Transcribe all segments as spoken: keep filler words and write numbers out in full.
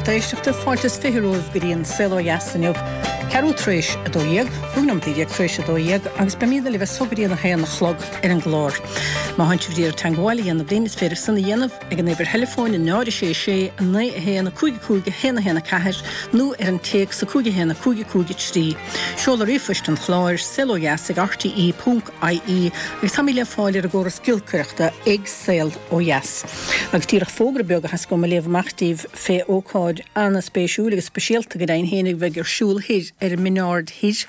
lucht éisteachta fáilte is fiche romhaibh go dtí an Saol Ó Dheas inniu. Ceathrú tar éis a dó dhéag, cúig nóiméad déag tar éis a dó dhéag, agus beimid libh as so go dtí an a haon a chlog ar an gclár. Má tánn sibh ag iarraidh teagmháil a dhéanamh linn is féidir san a dhéanamh ag an uimhir theileafóin náid a sé sé naoi a haon cúig cúig a haon a haon a ceathair nó ar an téacs a cúig a haon a cúig cúig a trí. Seoladh ríomhphoist an chláir saolodheas ag RTE ponc IE agus táimid le fáil ar an gcóras giolcaireachta ag Saol Ó Dheas. Agus díreach fógra beag a theastaigh uaim a léamh amach daoibh fé ócáid an-spéisiúil agus speisialta go deimhin féin a bheidh ar siúl thoir ar an Minaird Thoir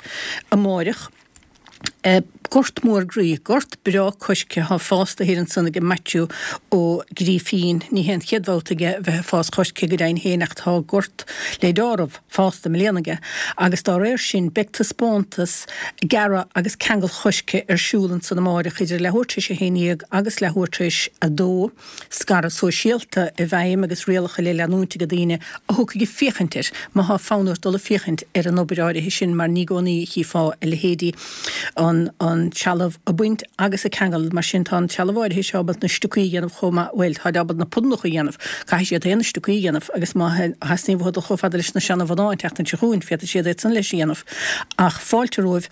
amáireach. E, gort mór groí, gort breá coiscthe atá fásta thiar ansan ag Maitiú Ó Grífín, ní hé an chéad bhabhta aige a bheith ag fás coiscthe go deimhin féin ach tá gort le deáramh fásta i mbliana aige agus dá réir sin beidh taispeántas gearradh agus ceangal choiscthe ar siúl ansan amáireach idir leathuair tar éis a haon dhéag agus leathuair tar éis a dó. Scaradh sóisialta i bhfeidhm agus rialacha le leanúint ag daoine a thiocfaidh ag féachaint air má tá fonn ort dul ag féachaint ar an obair áirithe sin mar ní i gcónaí a chífeá a leithéidí an an trealamh a bhaint agus a cheangal mar sin tá an trealamh áirithe seo ábalta na stocaí a dhéanamh chomh maith bhuel tá ábalta na pudannacha a dhéanamh caithfidh siad aon na stocaí a dhéanamh agus má theastaíonn uathu dul chomh fada leis na seana-mhná an tseachtain seo chugainn féadfaidh siad é san leis a dhéanamh ach fáilte romhaibh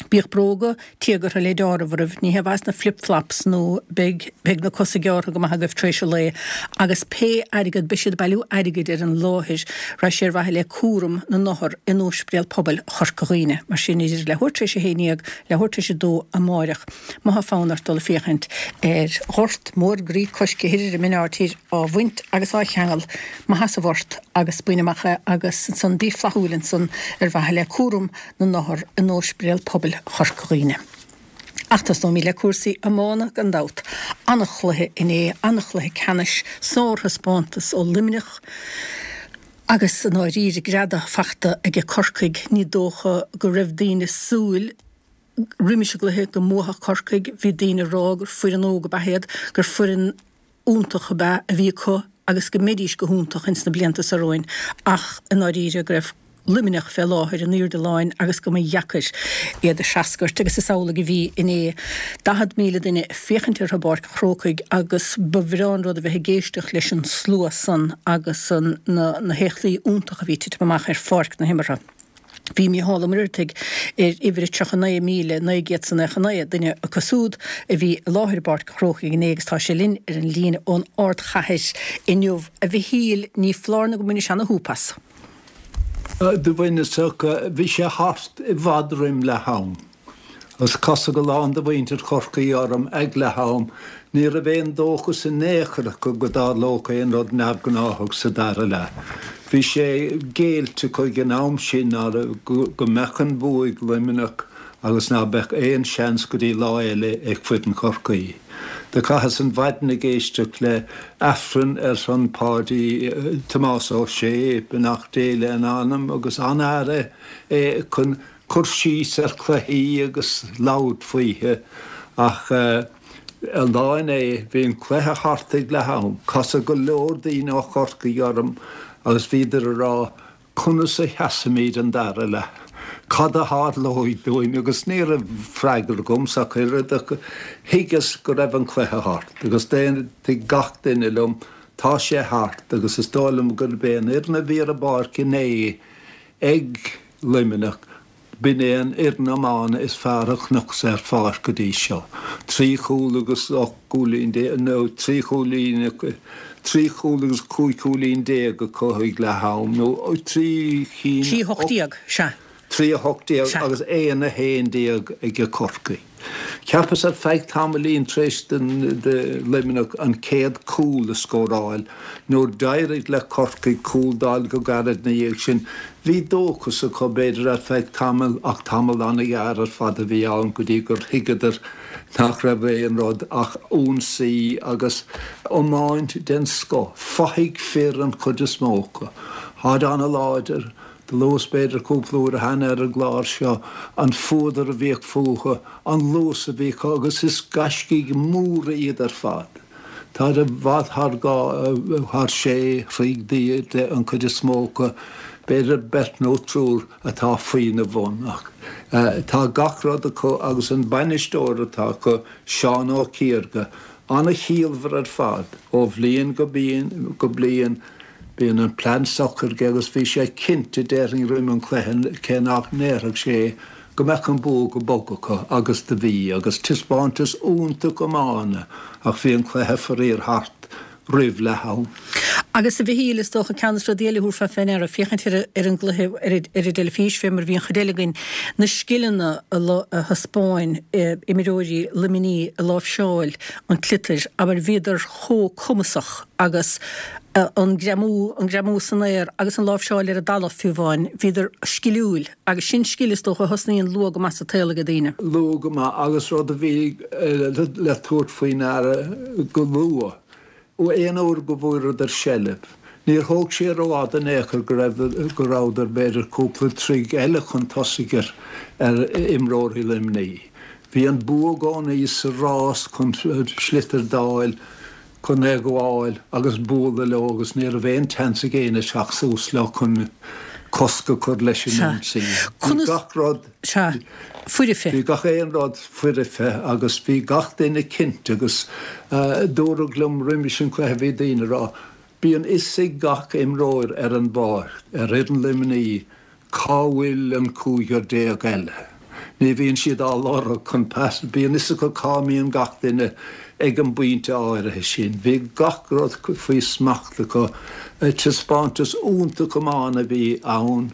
Bíodh bróga téagartha le deáramh oraibh, ní hé mhaith na flip-flops nó beidh beidh na cosa gearrtha go maith agaibh tar éis an lae agus pé airgead beidh siad ag bailiú airgid ar an láthair raibh sé ar mhaithe le cúram na n-othar in Ospidéal Pobail Chorca Dhuibhne. Mar sin idir leathuair tar éis a haon déag, leathuair tar éis a dó amáireach má tá fonn ort dul ag féachaint ar ghort mór groí coiscthe thoir ar an Minaird Thoir á bhaint agus á cheangal maith as an bport agus bain amach é agus ansan bí flaithiúil ansan ar mhaithe le cúram na n-othar in Ospidéal Pobail Chorca Dhuibhne. Ach tosnóimid le cúrsaí iomána gan dabht. An-chluiche inné, an-chluiche ceannais, sárthaispeántas ó Luimneach agus i ndáiríre greadadh fachta aige Corcaigh. Ní dócha go raibh daoine súil roimis an gcluiche go mbuafadh Corcaigh, bhí daoine ag rá gur foireann óg ab ea iad, gur foireann iontach ab ea a bhí acu agus go mbeidís go hiontach ins na blianta seo romhainn ach i ndáiríre go raibh Luimneach fé láthair in airde láin agus go mba dheacair iad a threascairt agus is amhlaidh a bhí inné. Daichead míle duine ag féachaint orthu i bPáirc an Chrócaigh agus ba bhreá an rud a bheith ag éisteacht leis an slua san agus an na na héachtaí iontacha a bhí ag titim amach ar pháirc na himeartha. Bhí Mícheál Ó Muircheartaigh ar uimhir a tríocha naoi míle naoi gcéad is naocha naoi, duine acu siúd a bhí i láthair i bPáirc an Chrócaigh inné agus tá sé linn ar an líne ón ardchathair inniu. A Mhichíl, ní foláir nó go mbainis ana-shúp as. Do bhaineas ach bhí sé thart i bhfad roim leath am. Agus casadh a lán de mhuintir Chorcaí orm ag leath am, ní raibh aon dóchas in aon chor acu go dtarlódh aon rud neamhghnáthach sa dara leath. Bhí sé géillte acu ag an am sin go mbeadh an bua ag Luimneach agus ná beadh aon seans go dtí lá eile ag foireann Chorcaí. Do chaitheas an mhaidin ag éisteacht le Aifreann ar son Páidí Tomás Ó Sé, beannacht Dé lena anam, agus an-fhear é chun cur síos ar chluichí agus labhairt faoithe ach an lá inné bhí an cluiche thart ag leath am. Casadh go leor daoine ó Chorcaigh orm agus bhíodar ag rá conas a sheasfaimid an dara leath? Cad a tharlóidh dúinn? Agus ní raibh freagra agamsa ach oiread ach thuigeas go raibh an cluiche thart agus d'aontaigh gach duine liom tá sé thart agus is dóigh liom gurb é an fhoireann a bhí ar an bpáirc inné ag Luimneach, b'in é an fhoireann iomána is fearr a chonacsa ar pháirc go dtí seo. Trí chúl agus ocht gcúilín déag, nó trí chúilín, trí chúl agus cúig chúilín déag acu ag leath am, nó trí chinn. Trí a hocht déag, sea. Trí a hocht déag agus aon a haon déag ag Corcaigh. Cheapas ar feadh tamaillín tar éis do Luimneach an chéad chúl a scóráil, nuair d'éirigh le Corcaigh cúl d'fháil go gairid ina dhiaidh sin, bhí dóchas acu b'fhéidir ar feadh tamaill ach tamall an-ghearr ar fad a bhí ann go dtí gur thuigeadar nach raibh aon rud ach ionsaí agus iomáint den scoth, fathaigh fir an chuid is mó acu. Táid an-láidir. Do luas b'fhéidir cúpla uair cheana ar an gclár seo an fuadar a bhíodh fúthu, an luas a bhí acu agus is gaiscígh mhóra iad ar fad. Táid i bhfad thar dhá, thar sé throigh d'airde an chuid is mó acu, b'fhéidir beirt nó triúr atá faoina bhun ach tá gach rud acu agus an bainisteoir atá acu, Seán Ó Ciardha, an-chiallmhar ar fad ó bhliain go bliain. Bíonn an plean socair aige agus bhí sé cinnte déarfainn roim an chluiche cé nach ndéarfadh sé go mbeadh an bua go bog acu agus do bhí agus taispeántas iontach iomána ach bhí an cluiche faraor thart roimh leath am. Agus a Mhichíl, is dócha ceann de na rudaí eile a thabharfá fé ndeara, féachaint ar ar an gcluiche ar ar an dteilifís fé mar a bhí an chuid eile againn, na scileanna a a thaispeáin imreoirí Luimnigh i láimhseáil an tsliotair, abair, bhíodar chomh cumasach agus an greamú, an greamú san aer agus an láimhseáil ar an dtalamh fiú amháin, bhíodar sciliúil agus sin scil is dócha a thosnaíonn luath go maith sa tsaol ag daoine. Luath go maith agus rud a bhí le tabhairt faoi ndeara go luath, ó aon uair go bhfuaireadar seilbh, níor thóg sé rófhada in aon chor go raibh, go rabhadar b'fhéidir cúpla troigh eile chun tosaigh ar, ar imreoirí Luimnigh. Bhí an bua i gcónaí sa rás chun sliotar d'fháil, chun é a ghabháil agus bualadh leo agus ní raibh aon tseans ag éinne teacht suas leo chun cosc a chur leis an Sea. ionsaí. Bhí Conas. gach rud. Sea. Foirfe. Bhí gach aon rud foirfe agus bhí gach duine cinnte agus dúradh liom roimis an chluiche, bhí daoine ag rá, bíonn fhios ag gach imreoir ar an bpáirc, ar fhoireann Luimnigh, cá bhfuil an cúigear déag eile. Ní bhíonn siad á lorg chun pas, bíonn fhios acu cá mbíonn gach duine ag an bpointe áirithe sin. Bhí gach rud faoi smacht acu. Taispeántas iontach iomána a bhí ann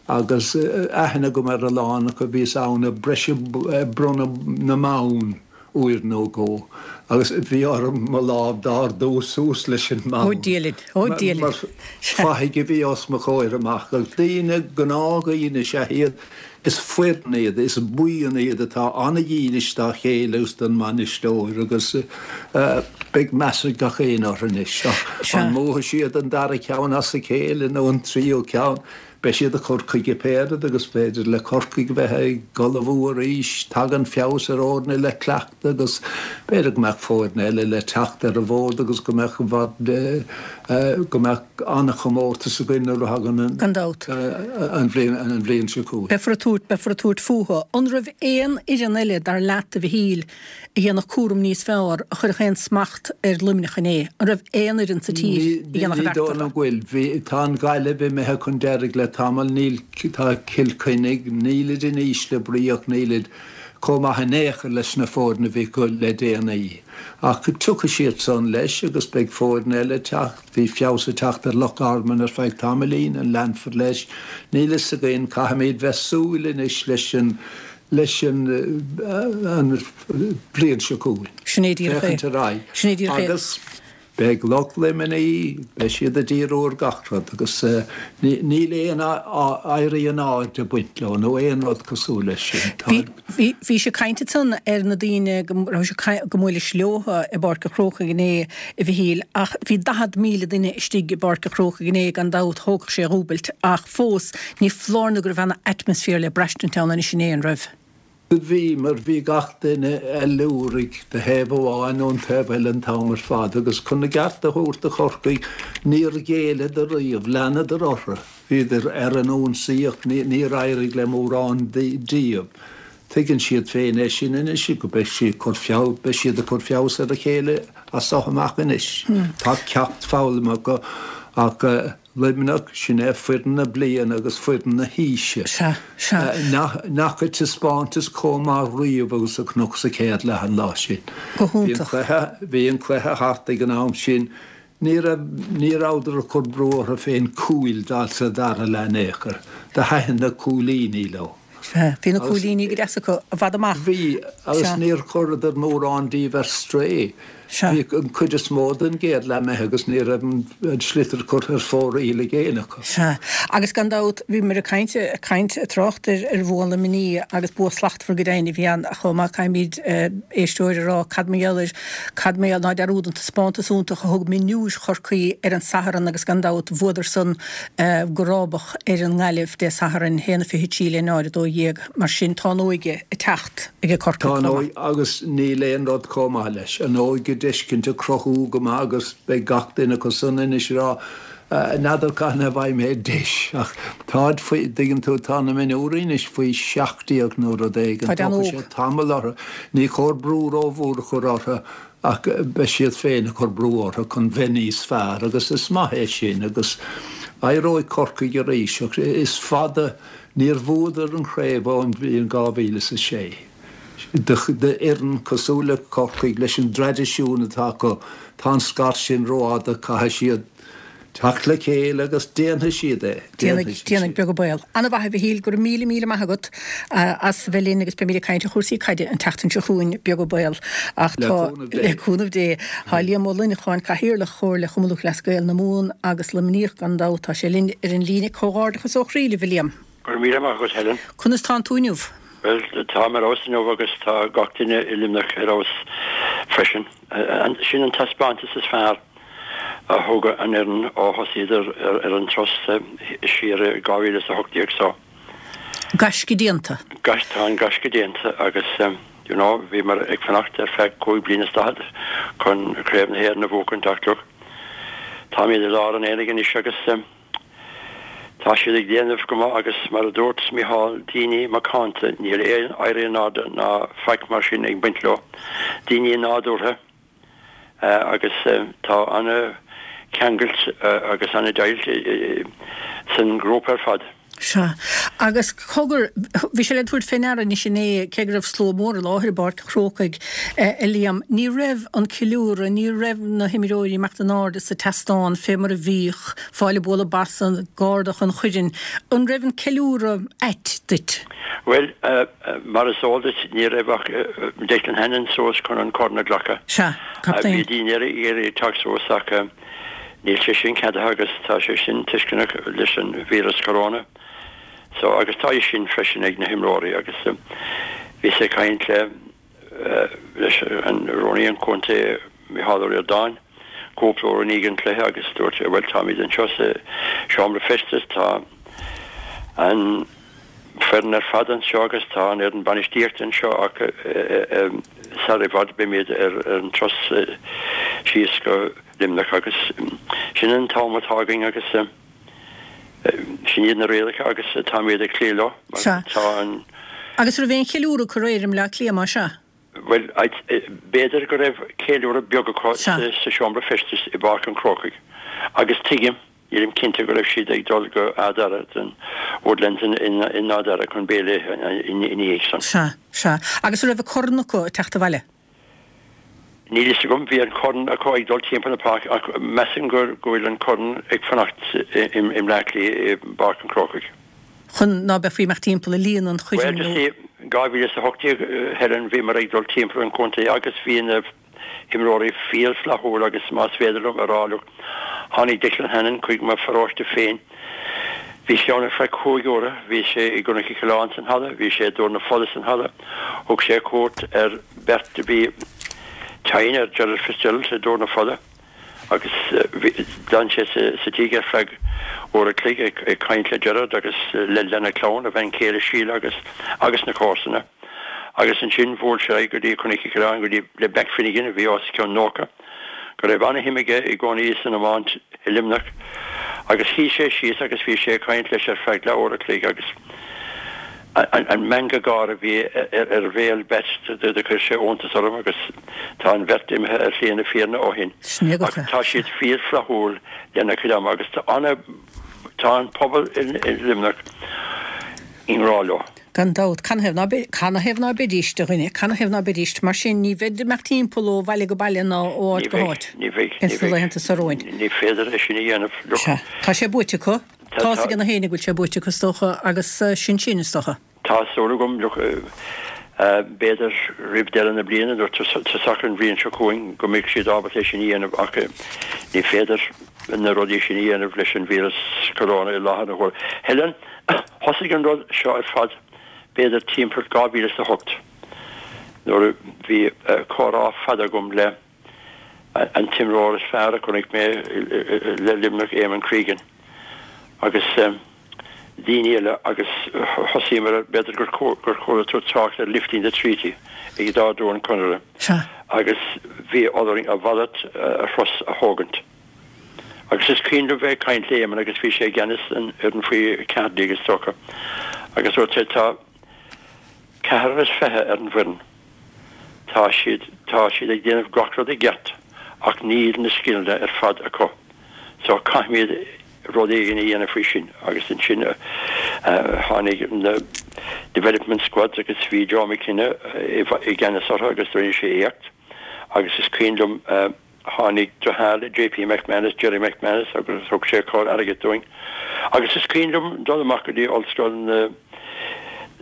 agus aithne agam ar a lán acu, bhíos ann ag briseadh, bronnadh na mbonn uair nó dhó agus bhí orm mo lámh d'ardú suas leis an Ó mbonn Dia linn, ó Dia linn. mar fathaigh a bhí os mo chomhair amach. Agus daoine, gnáthdhaoine is ea iad, is foireann iad, is buíon iad atá an-dhílis dá chéile agus don mbainisteoir agus beidh meas ag gach éinne orthu anois. Ach an mbuafaidh siad an dara ceann as a chéile nó an tríú ceann? Beidh siad ag cur chuige pé rud agus b'fhéidir le Corcaigh bheith ag ullmhú arís, tagann feabhas ar fhoirne le cleachtadh agus b'fhéidir go mbeadh foirne eile le teacht ar an bhfód agus go mbeadh i bhfad, go mbeadh an-chomórtas againn nuair a thagann an Gan dabht. an bhliain an bhliain seo chugainn. Beifear ag tabhairt, beifear ag tabhairt fúthu. An raibh aon fhoireann eile, dar leat, a Mhichíl, a dhéanfadh cúram níos fearr, a chuirfeadh aon smacht ar Luimneach inné? An raibh aon fhoireann sa tír Ní a dhéanfadh ní a bheart dóigh liom orthu? go bhfuil. Bhí, tá an Ghaillimh imithe chun deiridh le tamall, níl, tá Cill Chainnigh, nílid in ísle brí ach nílid chomh maith in aon chor leis na foirne a bhí acu le déanaí. Ach tiocfaidh siad san leis agus beidh foirne eile ag teacht. Bhí feabhas ag teacht ar Loch Garman ar feadh tamaillín, an leanfar leis? Níl fhios againn. Caithfimid bheith súil anois leis an leis an an bhliain seo chugainn. Sin é díreach é. Féachaint ar aghaidh. Sin é díreach é. Agus beidh lucht Luimnigh, beidh siad ag díriú ar gach rud agus níl aon éirí in airde ag baint leo nó aon rud cosúil leis sin. Tá. Bhí, bhí, bhí sé caint ansan ar na daoine go raibh sé go mbuailis leo i bPáirc an Chrócaigh inné, a Mhichíl, ach bhí daichead míle duine istigh i bPáirc an Chrócaigh inné, gan dabht thógfadh sé dhúbailt, ach fós ní foláir nó go raibh ana atmaisféar le braistint ann anois inné, an raibh? Bhí, mar bhí gach duine ag liúraigh de thaobh amháin nó an taobh eile an t-am ar fad agus chun a gceart a thabhairt do Chorcaigh, níor ghéilleadar riamh, leanadar orthu, bhíodar ar an ionsaí ach níor éirigh le mórán díobh. Tuigeann siad féin é sin anois, go beidh siad cur feabhas, beidh siad ag cur feabhas ar a chéile as seo amach anois. Tá ceacht foghlamtha acu ach Luimneach, sin é foireann na bliana agus foireann na haoise. Sea, sea. Nach fhaca taispeántas chomh maith riamh agus a chonac sa chéad leath an lá sin. Go Bhí an hiontach. cluiche, bhí an cluiche thart ag an am sin. Ní raibh, ní rabhadar ag cur brú orthu féin cúil d'fháil sa dara leath in aon chor. Do thaitin na cúilíní leo. Sea, bhí na Agus cúilíní go deas acu i bhfad amach. Bhí, agus Sea. níor chuireadar mórán díobh ar strae. Sea. Bhí an chuid is mó den gcéad leath imithe agus ní raibh an sliotar curtha ar fóraoil ag éinne acu. Sea. Agus gan dabht, bhíomar ag caint, ag caint, ag trácht ar, ar bhua Luimnigh agus bua slachtmhar go deimhin a bhí ann chomh maith. Caithfimid éisteoir a rá cad mar gheall ar, cad mar gheall, ná dearúd an taispeántas iontach a thug mionúir Chorcaí ar an Satharn agus gan dabht bhuadar san go rábach ar an nGaillimh Dé Sathairn, a haon a fiche trí le náid a dó dhéag. Mar sin tá an óige ag teacht ag Corcaigh Tá an chomh maith. óige agus níl aon rud chomh maith leis. An óige d'fheiscint ag cruthú go maith agus beidh gach duine acu san anois ag rá N'fheadar cathain a bhfaighidh mé deis ach táid faoi, dtuigeann tú, tá na mionúirí anois faoi seacht déag nó rud éigin, Táid tógfaidh an-óg. sé tamall orthu. Ní chóir brú rómhór a chur orthu ach beidh siad féin ag cur brú orthu chun bheith níos fearr agus is maith é sin agus éireoidh Corcaigh arís ach is fada, níor bhuadar an chraobh ón bhliain dhá mhíle is a sé. D'fhoireann cosúil le Corcaigh leis an dtraidisiún atá acu, tá an scairt sin rófhada, caithfidh siad teacht le chéile agus déanfaidh siad é. Déanfaidh, déanfaidh, beag an baol. An-mhaith, a Mhichíl, go raibh míle míle maith agat as bheith linn agus beimid ag caint ar chúrsaí caide an tseachtain seo chugainn, beag an baol. Ach Le tá, cúnamh Dé. le cúnamh Dé. Tá Liam Ó Luineacháin, Cathaoirleach Chomhairle Chumann Lúthchleas Gael na Mumhan agus Luimníoch gan dabht, tá sé linn ar an líne. Comhghairdeachas ó chroí libh, a Liam. Go raibh míle maith agat, Helen. Conas tánn tú inniu? Bhuel, táim ar fheabhas inniu agus tá gach duine i Luimneach ar fheabhas freisin. Sin an taispeántas is fearr a thug an fhoireann ó thosaíodar ar an turas siar i dhá mhíle is a hocht déag so. Gaisce déanta. Gaisce, tá an gaisce déanta agus you know bhíomar ag fanacht ar feadh cúig bliana is daichead chun Craobh na hÉireann a bhuachaint ach look, táimid i lár an aonaigh anois agus tá siad ag déanamh go maith agus mar a dúirt Micheál, daoine macánta, níl aon éirí in airde ná faic mar sin ag baint leo, daoine nádúrtha agus tá an-cheangailt agus an-deighilt san ghrúpa ar fad. Sea. Agus cogar, bhí sé le tabhairt fé ndeara anois inné, cé go raibh slua mór i láthair i bPáirc an Chrócaigh, a Liam, ní raibh an ceiliúradh, ní raibh na himreoirí ag imeacht in airde sa tseastán fé mar a bhíodh, fáil ag bualadh bos ag ardach an choirn. An raibh an ceiliúradh ait duit? Bhuel, mar is eol duit, ní raibh ach Declan Hannon suas chun an corn a ghlacadh. Sea, captaen. Bhí daoine eile ag iarraidh teacht suas ach níl sé sin ceadaithe agus tá sé sin tuisceanach leis an víreas corona. So, agus tá fhios sin freisin ag na himreoirí agus bhíos ag caint le leis an rúnaí an chontae Micheál Ó Ríordáin cúpla uair i ndiaidh an chluiche agus dúirt sé bhuel táimid anseo sa seomra feistis, tá an foireann ar fad anseo agus tá an fhoireann bainistíochta anseo ach sar i bhfad beimid ar an turas síos go Luimneach agus sin an t-am atá againn agus sin iad na rialacha agus táimid ag cloí leo mar Sea. tá an. Agus raibh aon cheiliúradh acu aréir i mBleá Cliath más ea? Bhuel, b'fhéidir go raibh ceiliúradh beag acu Sea. sa seomra feistis i bPáirc an Chrócaigh agus tuigim, Nílim cinnte go raibh siad ag dul go Áth Dara, den Woodlands in Áth Dara chun béile a ithe ina dhiaidh san. Sea, sea. Agus an raibh an corn acu ag teacht abhaile? Níl fhios agam. Bhí an corn acu ag dul timpeall na páirce ach measaim go bhfuil an corn ag fanacht i mBleá Cliath i bPáirc an Chrócaigh. Chun ná beifí ag imeacht timpeall ag líonadh an Bhuel, choirn you nó. see, dhá mhíle is a hocht déag, Helen, bhíomar ag dul timpeall an chontae agus bhí na. himreoirí fíor-fhlaithiúil agus más féidir liom a rá look, tháinig Declan Hannon chuig mo pharóiste féin. Bhí sé ann ar feadh cúig uaire, bhí sé i gCnoc Uí Choileáin san halla, bhí sé i dTúr na Fola san halla, thug sé cuairt ar beirt a bhí tinn, ar Gerald Fitzgerald i dTúr na Fola agus d'fhan sé sa tigh ar feadh uair a chloig ag caint le Gerard agus lena chlann, a bhean chéile Síle agus agus na comharsana. Agus ansin bhuail sé ar aghaidh go dtí Cnoc Uí Choileáin, go dtí le Back Finnegan, a bhí os cionn nócha, go raibh ana-shuim aige i gcónaí san iomáint i Luimneach. Agus shuigh sé síos agus bhí sé ag caint leis ar feadh leath uair a chloig agus an meangadh gáire a bhí ar bhéal Bat do chuir sé iontas orm agus tá an bheirt imithe ar shlí na fírinne ó shin. Ach tá siad fíor-fhlaithiúil lena chuid ama agus tá ana, tá an pobal i Luimneach i ngrá leo. Gan dabht. Canathaobh ná be, canathaobh ná beidíst, a dhuine, canathaobh ná beidíst? Mar sin, ní bheid ag imeacht timpeall ó bhaile go baile ná ó Ní áit go bheidh, háit ní bheidh, ní ins na bheidh. laethanta seo romhainn. Ní féidir é sin a dhéanamh, look. Sea. Tá sé buaite acu. Tá, Tá's tá. ag na héinne go bhfuil sé buaite acu, is dócha, agus sin sin, is dócha. Tá súil agam, look, b'fhéidir roimh deireadh na bliana nó tosach an bhliain seo chugainn go mbeidh siad ábalta é sin a dhéanamh ach ní féidir na rudaí sin a dhéanamh leis an víreas corona i láthair na huaire. Helen, Thosaigh an rud seo ar fad b'fhéidir timpeall dhá mhíle is a hocht nuair a bhí comhrá fada agam le an t-imreoir is fearr a chonaic mé le Luimneach, Eamon Cregan, agus daoine eile agus thosaíomar ar, b'fhéidir gur chuala tú trácht ar lifting the treaty ag ardú an Chonartha agus bhí orainn a mhalairt a thuras a thógaint. Agus is cuimhin liom bheith ag caint le Éamonn agus bhí sé i gceannas an fhoireann faoi ceathair déag is dócha agus dúirt sé tá ceathrar is fiche ar an bhfoireann. Tá siad, tá siad ag déanamh gach rud i gceart ach níl na scileanna ar fad acu. So caithfimid rud éigin a dhéanamh faoi sin agus ansin tháinig na development squads agus bhí Joe McKenna i gceannas orthu agus rinne sé éacht agus is cuimhin liom tháinig deartháir le JP McManus, Jerry McManus agus thug sé corr airgid dúinn agus is cuimhin liom dul amach go dtí Ollscoil na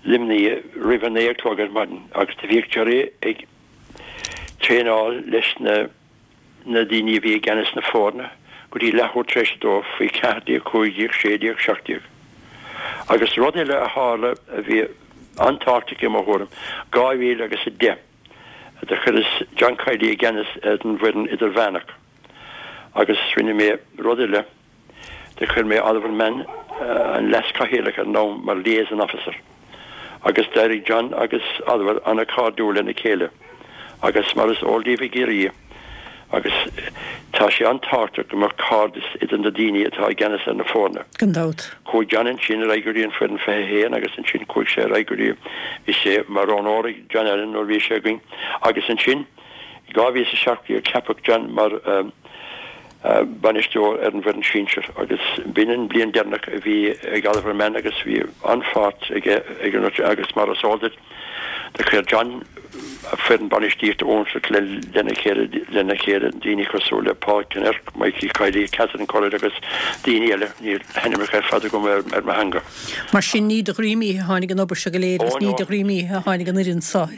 Luimnigh roimh a naoi a chlog ar maidin agus do bhíodh Jerry ag traenáil leis na na daoine a bhí i gceannas na foirne go dtí leathuair tar éis a dó, faoi ceathair déag, cúig déag, sé déag, seacht déag. Agus rud eile a tharla a bhí an-tábhachtach i mo thuairim, dhá mhíle agus a deich, do chuireas John Kiely i gceannas ar an bhfoireann idirmheánach agus rinne mé rud eile, do chuir mé Oliver Mann, an leas-chathaoirleach ar an am, mar liaison officer. Agus d'éirigh John agus Oliver an-chairdiúil lena chéile agus mar is eol daoibh i gCiarraí agus tá sé an-tábhachtach go mbeadh cairdeas idir na daoine atá i gceannas ar na foirne. Gan dabht. Chuaigh John ansin ar aghaidh go dtí an foireann fiche a haon agus ansin chuaigh sé ar aghaidh go dtí, bhí sé mar roghnóir ag John Allen nuair a bhí sé againn agus ansin i dhá mhíle is a seacht déag ceapadh John mar bainisteoir ar an bhfoireann sinsir agus b'in an bliain deireanach a bhí ag Oliver Mann agus bhí an-pháirt aige ag an agus mar is eol duit do chuir John a foireann bainistíochta iontach lena chéile lena chéile daoine cosúil le Paul Kinnerk, Mikey Kiely, Catherine Currid agus daoine eile, níl a n-ainmneacha ar fad agam ar ar mo theanga. Mar sin ní de dhroim oíche a tháinig an obair seo go léir agus ní de dhroim oíche a tháinig an fhoireann seo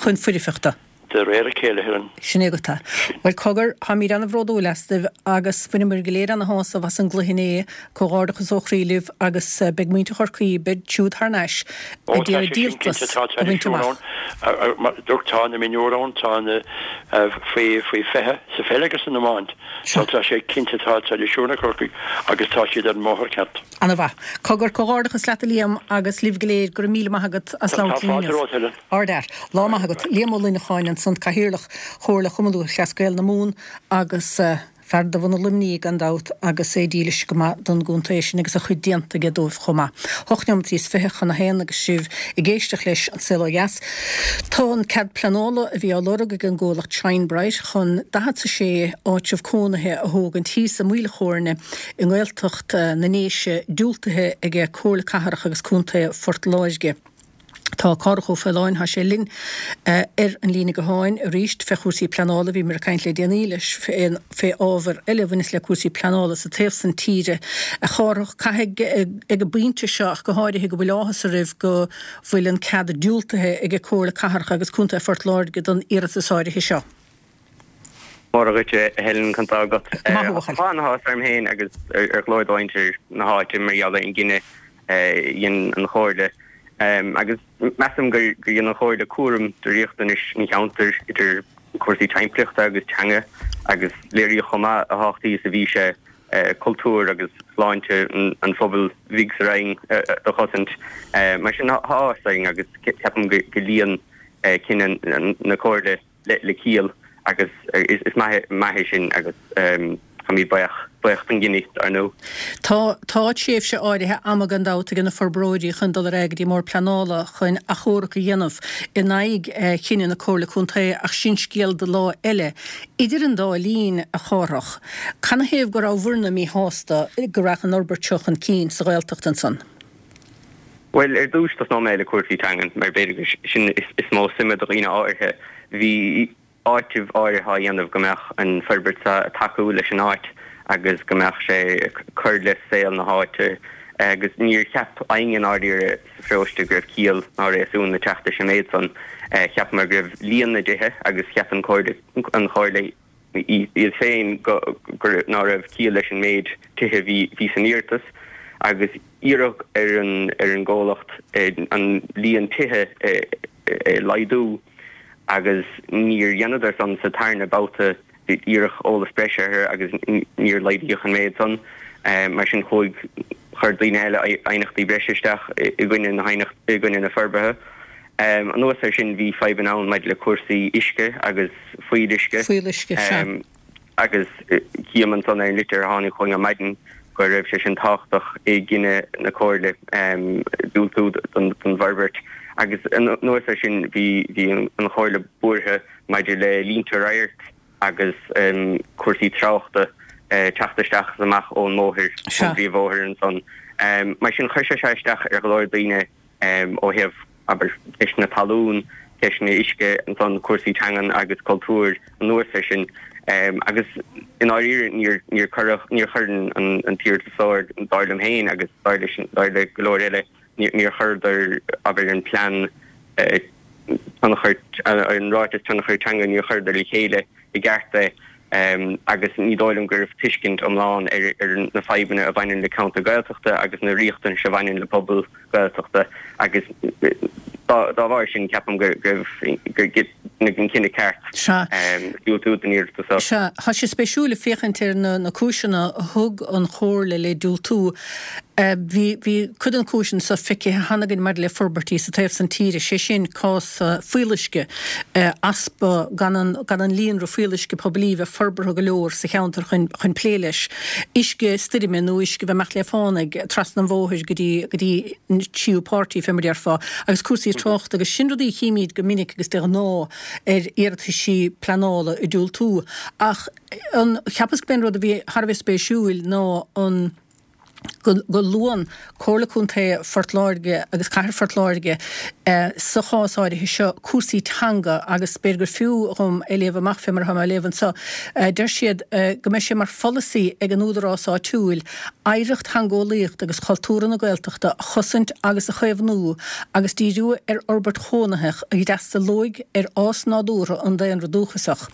chun foirfeachta. De réir a chéile, a Helen. Sin é agat é. Bhuel, cogar, táimid an-bhródúil astaibh agus bhaineamar go léir ana-shásamh as an gcluiche inné. Comhghairdeachas ó chroí libh agus beidh muintir Chorcaí, beid siúd thar n-ais Ó, ag tá iarraidh sé sin díoltas cinnte, tá a bhaint traidisiún amach. ann. Mar dúirt, tá na mionúir ann, tá na faoi, faoi fiche sa pheil agus san iomáint. Sea. So tá sé cinnte, tá traidisiún ag Corcaigh agus tá siad ar an mbóthar ceart. Ana-mhaith. Cogar, comhghairdeachas leat a Liam agus libh go léir, go raibh míle maith agat as Tá labhairt linn fáilte inniu. romhat, Helen. Ardfhear. Lá maith agat. Liam Ó Luineacháin ansan, Cathaoirleach Chomhairle Chumann Lúthchleas Gael na Mumhan agus fear de bhunadh Luimnigh gan dabht agus é dílis go maith don gcontae sin agus a chuid déanta aige dóibh chomh maith. Hocht neomat is fiche chun a haon agus sibh ag éisteacht leis An Saol Ó Dheas. Tá an cead pleanála a bhí á lorg ag an gcomhlacht Shine Bright chun daichead a sé áitreabh cónaithe a thógaint thíos i Maoil Chóirne i nGaeltacht na nDéise diúltaithe ag Comhairle Cathrach agus Contae Phort Láirge. Tá Cárthach Ó Faoláin, tá sé linn ar an líne gutháin arís fé chúrsaí pleanála. Bhíomar ag caint le déanaí leis fé ábhar eile a bhaineas le cúrsaí pleanála sa taobh san tíre. A Chárthach, caithfidh ag an bpointe seo ach go háirithe go bhfuil áthas oraibh go bhfuil an cead diúltaithe ag Comhairle Cathrach agus Contae Phort Láirge don iarratas áirithe seo. Móra dhuit a Helen, conas tá agat? Go maith a bhuachaill. Tá an-áthas orm féin agus ar go leor de mhuintir na háite mar gheall ar an gcinneadh a dhein an Chomhairle. Agus measaim gur dhein an Chomhairle cúram de riachtanais an cheantair idir cúrsaí timpeallachta agus teanga agus léiríodh chomh maith a thábhachtaí is a bhí sé cultúr agus sláinte an phobail bhig sa Rinn a chosaint. Mar sin tá áthas orainn agus ceapaim go luíonn cinneadh na Comhairle le ciall agus is maith é sin agus táimid buíoch, buíoch don gcinneadh, dar ndóigh. Tá, tá tréimhse áirithe ama gan dabht ag na forbróirí chun dul ar aghaidh go dtí an mBord Pleanála chun achomharc a dhéanamh in aghaidh chinneadh na Comhairle Contae ach sin scéal do lá eile. Idir an dá linn, a Chárthach, canathaobh go rabhabhairne míshásta go raghadh an fhorbairt seo chun cinn sa Ghaeltacht ansan? Bhuel, ar dtús tosnóidh mé le cúrsaí teangan mar b'fhéidir gur sin is mó suime do dhaoine áirithe. Bhí áiteamh áirithe á dhéanamh go mbeadh an forbairt seo ag tacú leis an áit agus go mbeadh sé ag cur le saol na háite agus níor cheap éinne i ndáiríre sa pharóiste go raibh ciall ná réasún ag teacht leis an méid san. Cheapamar go raibh líon na dtithe agus cheap an Chomhairle iad féin go ná raibh ciall leis an méid tithe a bhí san iarratas agus iarradh ar an gcomhlacht an líon tithe a laghdú. Agus níor dheineadar san sa tarna babhta, iarradh eolas breise orthu agus níor laghdaíodh an méid san. Mar sin chuaigh, chuir daoine eile aighneachtaí breise isteach i gcoinne na i gcoinne na forbartha. Anuas air sin bhí fadhbanna ann maidir le cúrsaí uisce agus fuíolluisce. Fuíolluisce, sea. Agus cím ansan ar an litir a tháinig chugainn ar maidin go raibh sé sin tábhachtach i gcinneadh na Comhairle diúltú don bhforbairt. Agus anuas air sin bhí an Chomhairle buartha maidir le línte radhairc agus cúrsaí tráchta teacht isteach is amach ón mbóthar, ón bpríomhbhóthar ansan. Mar sin chuir sé seo isteach ar go leor daoine ó thaobh, abair, ceisteanna talún, ceisteanna uisce, ansan cúrsaí teangan agus cultúir anuas air sin. Agus i ndáiríre níor níor cuireadh, níor chuir an t-iarratasóir, dar liom féin agus dar leis, dar le go leor eile, níor chuireadar, abair, an plean tionchair, an ráiteas tionchair teanga, níor chuireadar le chéile i gceart é. Agus ní dóigh liom go raibh tuiscint iomlán ar na fadhbanna a bhaineann le ceantar Gaeltachta agus na riachtanais a bhaineann le pobal Gaeltachta agus dá bharr sin ceapaim go raibh gur deineadh an cinneadh ceart diúltú don iarratas seo. Sea, tá sé spéisiúil féachaint ar na cúiseanna a thug an Chomhairle le diúltú. Bhí cuid de na cúiseanna seo feicthe cheana againn maidir le forbairtí sa taobh san tíre, sé sin cás fuíolluisce, easpa, gan an gan an líonra fuíolluisce poiblí bheith forbartha go leor sa cheantar chun chun plé leis, uisce stoirme nó uisce bheith imeacht le fánaidh trasna an bhóthair go dtí go dtí an tríú páirtí fé mar déarfá, agus cúrsaí tráchta agus sin rudaí a chímíd go minic agus de ghnáth ar iarrataisí pleanála ag diúltú. Ach an cheapas go b'é an rud a bhí thar a bheith spéisiúil ná an go luann Comhairle Contae Phort Láirge agus Cathair Phort Láirge sa chás áirithe seo cúrsaí teanga agus b'fhéidir gur fiú dhom é léamh amach fé mar atá mé á léamh anseo. Deir siad go mbeidh sé mar pholasaí ag an údarás áitiúil oidhreacht theangeolaíochta agus chultúrtha na Gaeltachta a chosaint agus a chaomhnú agus díriú ar fhorbairt chónaitheach a d'fhreastalóidh ar fhás nádúrtha an daonra dúchasach.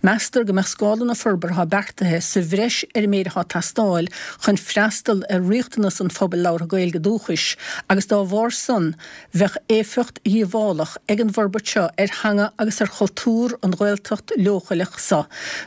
Meastar go mbeadh scála na forbartha atá beartaithe sa bhreis ar an méid atá ag teastáil chun freastal ar riachtanas an phobail labhartha Gaeilge dúchais agus dá bharr san bheadh éifeacht dhíobhálach ag an bhforbairt seo ar theanga agus ar chultúr an Ghaeltacht leochaileach so.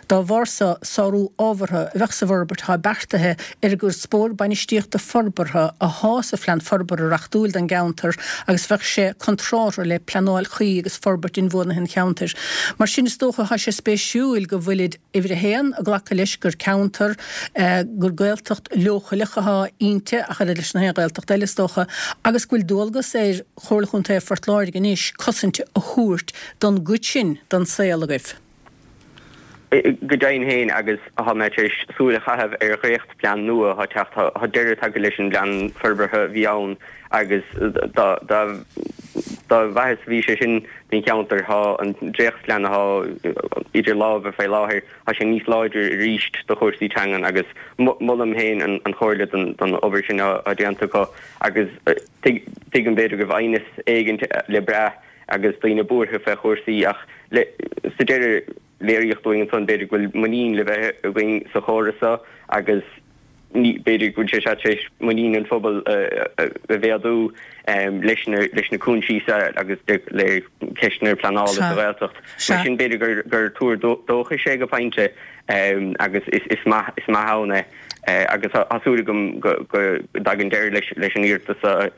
Dá bharr so, sárú ábhartha a bheadh sa bhforbairt atá beartaithe ar an gcuspóir bainistíochta forbartha athá sa Phlean Forbartha reachtúil don gceantar agus bheadh sé contrártha le pleanáil chuí agus forbairt inbhuanaithe an cheantair. Mar sin is dócha thá sé spéisiúil go bhfuilid uimhir a haon, ag glacadh leis gur ceantar, gur Gaeltacht leochaileach athá inti, ach oiread leis na haon Ghaeltacht eile is dócha, agus go bhfuil dualgas ar Chomhairle Chontae Phort Láirge anois cosaint a thabhairt don gcuid sin den saol agaibh. Go deimhin féin, agus tá mé tar éis súil a chaitheamh ar dhréachtphlean nua atá ag teacht, tá deireadh tagtha leis an bplean forbartha a bhí ann agus dá mhaitheas a bhí sé sin don cheantar, tá an dréachtphlean atá idir lámha faoi láthair, tá sé níos láidre arís do chúrsaí teangan agus molaim féin an Chomhairle don obair sin atá déanta acu agus tuigim b'fhéidir go raibh aighneas éigin le brath agus daoine buartha fé chúrsaí ach sa deireadh léiríodh dúinn ansan b'fhéidir go bhfuil muinín le bheith againn sa chóras seo agus b'fhéidir go bhfuil sé seo tar éis muinín an phobail a mhéadú leis na leis na cúinsí seo agus le ceisteanna pleanála sa Ghaeltacht. Mar sin b'fhéidir gur tuar dóchais é go pointe agus is maith is maith ann é agus tá súil agam go dtagann deireadh leis leis an iarratas seo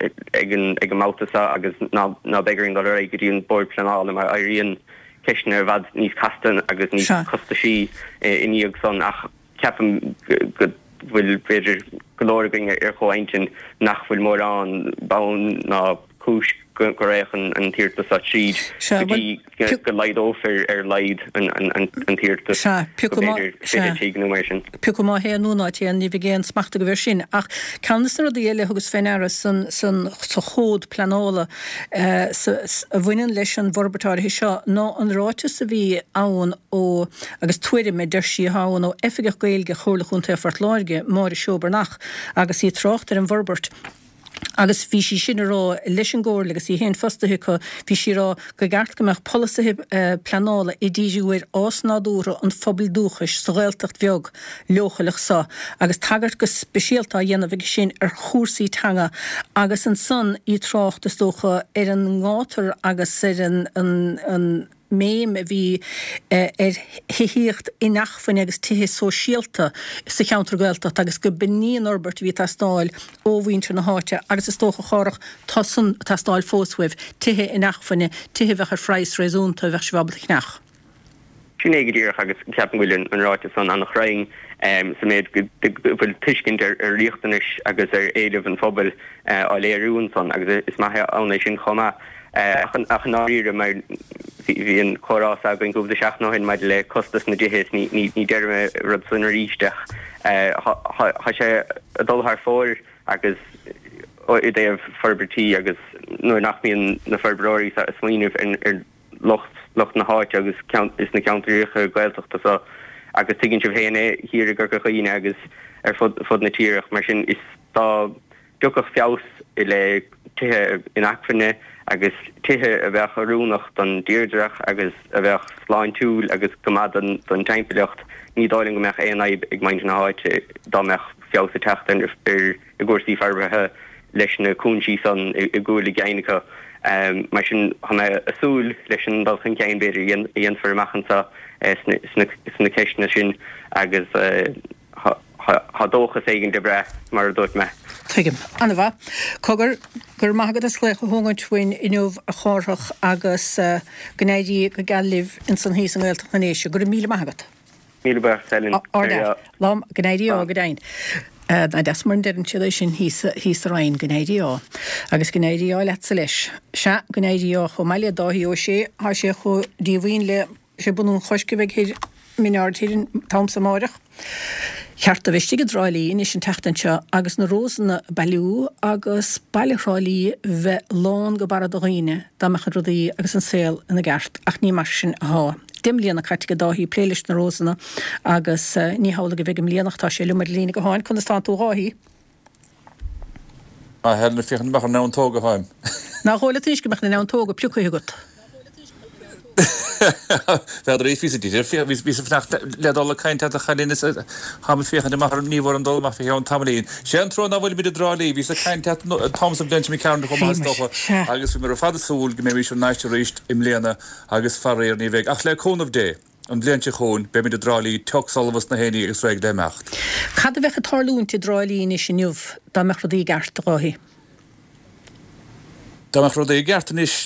ag an ag an mbabhta seo agus ná ná beidh orainn dul ar aghaidh go dtí an Bord Pleanála mar éiríonn ceisteanna i bhfad níos casta agus níos costaisí i ndiaidh san ach ceapaim go bhfuil b'fhéidir go leor againn ar chomh-intinn nach bhfuil mórán bonn ná cúis go raghadh an t-iarratas seo tríd go dtí go laghdófar ar a laghad an t-iarratas go b'fhéidir fiche tigh nó mar sin. Pé acu má théann nó ná téann, ní bheidh aon smacht agaibh air sin. Ach ceann de na rudaí eile a thugas fé ndeara sa chomhad pleanála a bhaineann leis an bhforbairt áirithe seo ná an ráiteas a bhí ann ó, agus tuairim a deir sí atá ann ó Oifigeach Gaeilge Chomhairle Chontae Phort Láirge, Máire Seoibearnach, agus í ag trácht ar an bhforbairt. Agus bhí sí sin ag rá leis an gComhairle agus í féin fostaithe acu, bhí sí ag rá gur cheart go mbeadh polasaithe pleanála ag díriú ar fhás nádúrtha an phobail dúchais sa Ghaeltacht bheag leochaileach seo agus tagairt go speisialta á dhéanamh aige sin ar chúrsaí teanga agus ansan í ag trácht, is dócha, ar an ngátar agus ar an mbéim a bhí ar thithíocht inacmhainne agus tithe sóisialta sa cheantar Gaeltachta agus go b'in í an fhorbairt a bhí ag teastáil ó mhuintir na háite agus is dócha, a Chárthach, tá san ag teastáil fós uaibh, tithe inacmhainne, tithe a bheadh ar phraghas réasúnta a bheadh sibh ábalta a cheannach. Sin é go díreach agus ceapaim go bhfuil an ráiteas san an-chruinn sa méid go bhfuil tuiscint ar riachtanais agus ar éilimh an phobail á léiriú ansan agus is maith ann é sin chomh maith. Ach i ndáiríre mar bhí an comhrá againn cúpla seachtain ó shin maidir le costas na dtithe is ní déarfaidh mé rud san arís ach tá sé ag dul thar fóir agus i dtaobh forbairtí agus nuair nach mbíonn na forbróirí ag smaoineamh ar lucht lucht na háite agus is na ceantracha Gaeltachta so agus tuigeann sibh féin é thiar i gCorca Dhuibhne agus ar fud fud na tíre mar sin is dá dtiocfadh feabhas i leith tithe inacmhainne agus tithe a bheadh oiriúnach don dtírdreach agus a bheadh sláintiúil agus go maith don don timpeallacht ní dóigh liom go mbeadh aon fhadhb ag muintir na háite dá mbeadh feabhas ag teacht ar ar i gcúrsaí forbartha leis na cúinsí san i gcúl a gceann acu. Mar sin, tá mé ag súil leis an dul chun cinn, b'fhéidir, a dhéanfar amach anseo sna ceisteanna sin agus tá dóchas éigin le brath, mar a dúirt mé. Tuigim. An-mhaith. Cogar, go raibh maith agat as glaoch a thógaint uainn inniu, a Chárthach, agus go n-éirí go geal libh insan thíos i nGaeltacht na nDéise. Go raibh míle maith agat. Míle buíochas, Helen. Ard Lá, go n-éirí ádh, go deimhin. Nach deas mar a deireann siad é sin thíos thíos sa Rinn, go n-éirí ádh. Agus go n-éirí ádh leatsa leis. Sea, go n-éirí ádh chomh maith le Dáithí Ó Sé, thá sé chomh díomhaoin le sé bunú an Choisc a bheidh thoir Min Aird Thoir an t-am so amáireach. Cheart do bheith istigh i dTrá Lí anois an tseachtain seo agus na rósanna a bailiú agus baile Thrá Lí bheith lán go barra de dhaoine dá mbeadh rudaí agus an saol ina gceart ach ní mar sin athá. Deich mbliana caite ag Dáithí ag plé leis na rósanna agus ní hamhlaidh a bheidh i mbliana ach tá sé liom ar líne gutháin. Conas tánn tú a Dháithí? A Helen, ag féachaint amach ar na neantóga atáim. Nach dhóigh leat anois go mbeadh na neantóga pioctha agat? Bheadar bhíos bhíos ag fanacht le dul ag caint leat a chailín is táim ag féachaint amach ar ní bhfuair an dul amach fé cheann tamaillín. Sé an trua ná fuilimid i dTrá Lí, bhíos ag caint leat an t-am sa bhliain seo ceann chomh maith is dócha agus bhíomar ar fad ag súil go mbeimis thar n-ais arís i mbliana agus faraor ní bheidh ach le cúnamh Dé an bhliain seo chugainn beimid i dTrá Lí, tocs ullamh is na héinní agus réidh le himeacht. Cad a bheadh ag tarlúint i dTrá Lí anois inniu dá mbeadh rudaí i gceart, a Dháithí? Dá mbeadh rudaí i gceart anois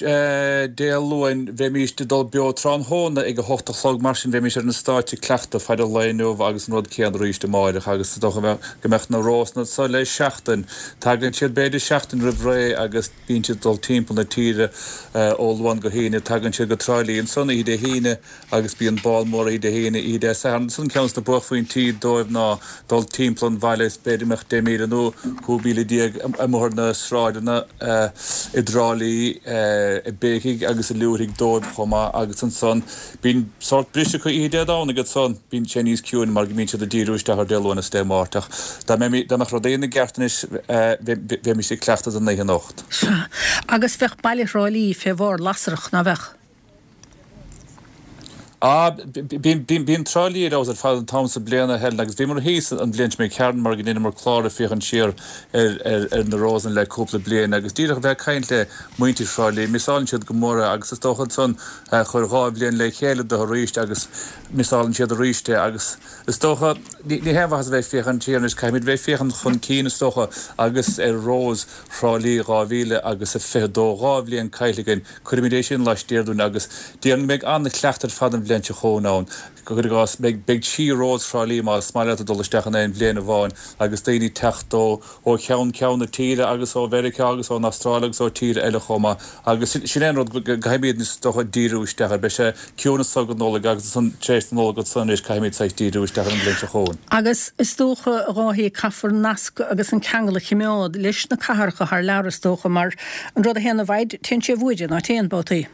Dé Luain, bheimís ag dul beo tráthnóna ag a hocht a chlog, mar sin bheimís ar an stáitse ag cleachtadh fad an lae inniu agus an rud céanna arís amáireach agus is dócha go mbeadh na rósanna anso le seachtain. Tagann siad b'fhéidir seachtain roimh ré agus bíonn siad ag dul timpeall na tíre ó Luan go hAoine. Tagann siad go Trá Lí ansan oíche Dé hAoine agus bíonn bál mór oíche Dé hAoine, oíche Dé Sathairn. Ansan ceann de na buaicphointí dóibh ná dul timpeall an bhaile is b'fhéidir go mbeadh deich míle nó cúig mhíle déag amuigh ar na sráideanna i dTrá Lí, ag béicigh agus ag liúirthigh dóibh chomh maith agus ansan bíonn sórt briseadh acu oíche Dé Domhnaigh ansan bíonn sé níos ciúine mar go mbíonn siad ag díriú isteach ar Dé Luain is Dé Máirt ach dá mbeadh rudaí ina gceart anois bheimis ag cleachtadh don oíche anocht. Sea, agus bheadh baile Thrá Lí fé bharr lasrach, ná bheadh? Ah, bíonn Trá Lí ar fheabhas ar fad an t-am sa bliain, a Helen, agus bhíomar thíos an bhliain seo imigh tharainn mar go ndeineamar clár ag féachaint siar ar na Rósanna le cúpla bliain agus díreach a bheith ag caint le muintir Thrá Lí, miseálann siad go mór é agus is dócha ansan chuir dhá bhliain le chéile dó arís agus miseálann siad arís é agus is dócha ní haon mhaitheas a bheith ag féachaint siar anois, caithfimid bheith ag féachaint chun cinn is dócha agus ar Rós Thrá Lí dhá mhíle agus a fiche dó, dhá bhliain caillte againn. Cuirfimid é sin laistiar dúinn agus déarfainn go mbeidh an-chleachtadh ar fad an bhliain seo chugainn ann. Cuir i gcás, beidh beidh trí Rós Thrá Lí más maith leat ag dul isteach in aon bhliain amháin agus daoine ag teacht ó ó cheann ceann na tíre agus ó Mheiriceá agus ón Astráil agus ó tíortha eile chomh maith agus sin é an rud go gcaithfimid is dócha díriú isteach air. Beidh sé ciúin anso go Nollaig agus ansan tar éis na Nollag ansan anois caithfimid saghas díriú isteach ar an bhliain seo chugainn. Agus is dócha, a Dháithí, caithfear nasc agus an ceangal a chimeád leis na cathracha thar lear is dócha mar an rud a théann i bhfaid, téann sé i bhfuaire, ná téann, babhtaí?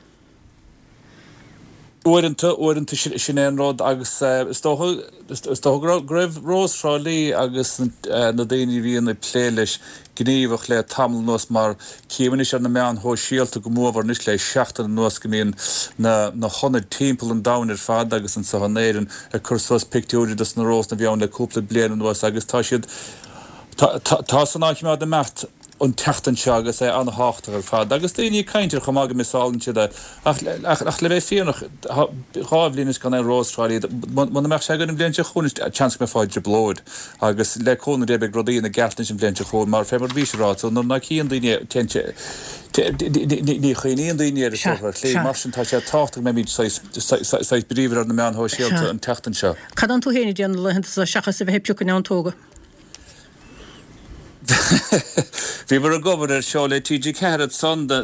Uaireanta, uaireanta sin é an rud agus is dócha, is dócha go raibh, go raibh Rós Thrá Lí agus na daoine a bhíonn ag plé leis gníomhach le tamall anuas mar cím anois ar na meáin shóisialta go mórmhór anois le seachtain anuas go mbíonn na, na hionaid timpeall an domhain ar fad agus anseo in Éirinn ag cur suas pictiúirí dos na rósanna a bhí ann le cúpla bliain anuas agus tá siad, tá, tá, tá san á choimeád ag imeacht. an tseachtain seo agus é an-thábhachtach ar fad. Agus daoine ag caint air chomh maith go miseálann siad é. Ach, ach, ach le bheith fírinneach, dhá bhliain anois gan aon Rós Thrá Lí, muna mbeadh sé againn an bhliain seo chugainn, seans go mbeifeá i dtrioblóid. Agus le cúnamh Dé beidh rudaí ina gceart anois an bhliain seo chugainn mar fé mar a bhís ag rá, so nuair nach chíonn daoine téann sé, ní chuimhníonn daoine air is dócha ar shlí. Mar sin tá sé tábhachtach go mbeimid saghas, saghas bríomhar ar na meáin shóisialta an tseachtain seo. Cad atánn tú féin ag déanamh na laethanta seo seachas a bheith ag piocadh neantóga? Bhíomar ag obair ar seó le T G ceathair ansan do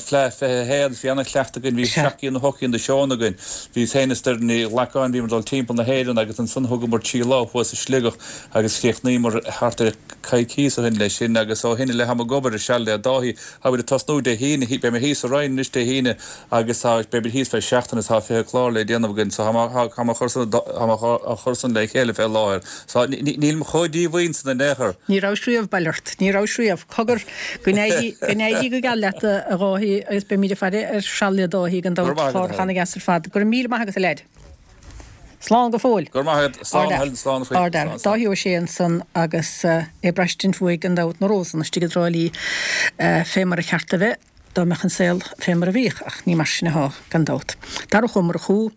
Fleadh fiche a haon. Bhí ana-chleachtadh againn, bhí seacht gcinn nó ocht gcinn de seónna againn. Bhíos féin is Doireann Ní Ghlacáin, bhíomar ag dul timpeall na hÉireann agus ansan thugamar trí lá thuas i Sligeach agus chríochnaíomar thart ar coicíos ó shin leis sin agus ó shin i leith táim ag obair ar Seal le Dáithí. Táimid ag tosnú Dé hAoine, beidh mé thíos sa Rinn anois Dé hAoine agus tá, beimid thíos feadh seachtaine is tá fiche clár le déanamh againn so táim á chur san le chéile fé láthair. So nílim chomh díomhaoin san in aon chor. Ní rabhais riamh, bail ort, ní rabhais riamh. Cogar, go n-éirí, go n-éirí go geal leat, a Dháithí, agus beimid ag faire ar Seal le Dáithí gan dabht, clár ana-dheas ar fad. Go raibh míle maith agat, a leaid. Slán go fóill. Go raibh maith agat. Slán, Helen, slán a chroí. Ard fhear. Dáithí Ó Sé ansan agus é ag braistint uaidh gan dabht na Rósanna istigh i dTrá Lí fé mar a cheart a bheith dá mbeadh an saol fé mar a bhíodh, ach ní mar sin athá, gan dabht. Darach Ó Murchú.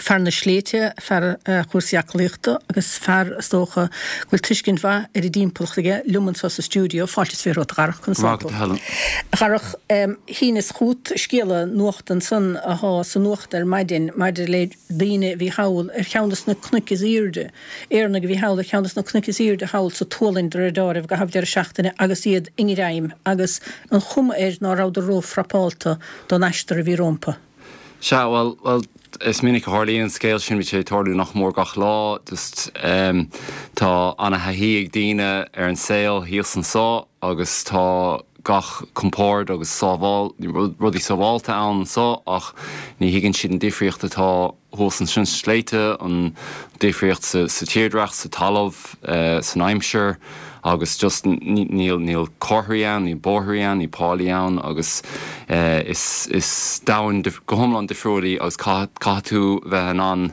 fear na sléibhte, fear chúrsaí aclaíochta agus fear, is dócha, go bhfuil tuiscint mhaith ar an dtimpeallacht aige, liom anseo sa stiúideo. Fáilte is fiche romhat, a Dharach, conas tá tú? A Dharach, shíneas chugat scéala nuachta ansan athá sa nuacht ar maidin maidir le daoine a bhí thall ar cheann de na cnoic is aoirde, Éireannaigh a bhí thall ar cheann de na cnoic is aoirde thall sa tSualainn de réir deáraimh i gcaitheamh deireadh seachtaine agus iad i ngreim agus an chuma air ná rabhadar ró-phrapálta don aistear a bhí rómpa. Sea, bhuel, bhuel, is minic a tharlaíonn an scéal sin, bíonn sé ag tarlú nach mór gach lá. Just, em, tá ana-thaithí ag daoine ar an saol thíos anso agus tá gach compord agus sábháil, rudaí sábháilte ann anso ach ní thuigeann siad an difríocht atá thuas ansin sna sléibhte, an difríocht sa, sa tírdhreach, sa talamh, eh, san aimsir. agus just níl níl comharthaí ann, níl bóithrí ann, níl pálaí ann agus is is domhan go hiomlán difriúil í agus caithfidh tú bheith in ann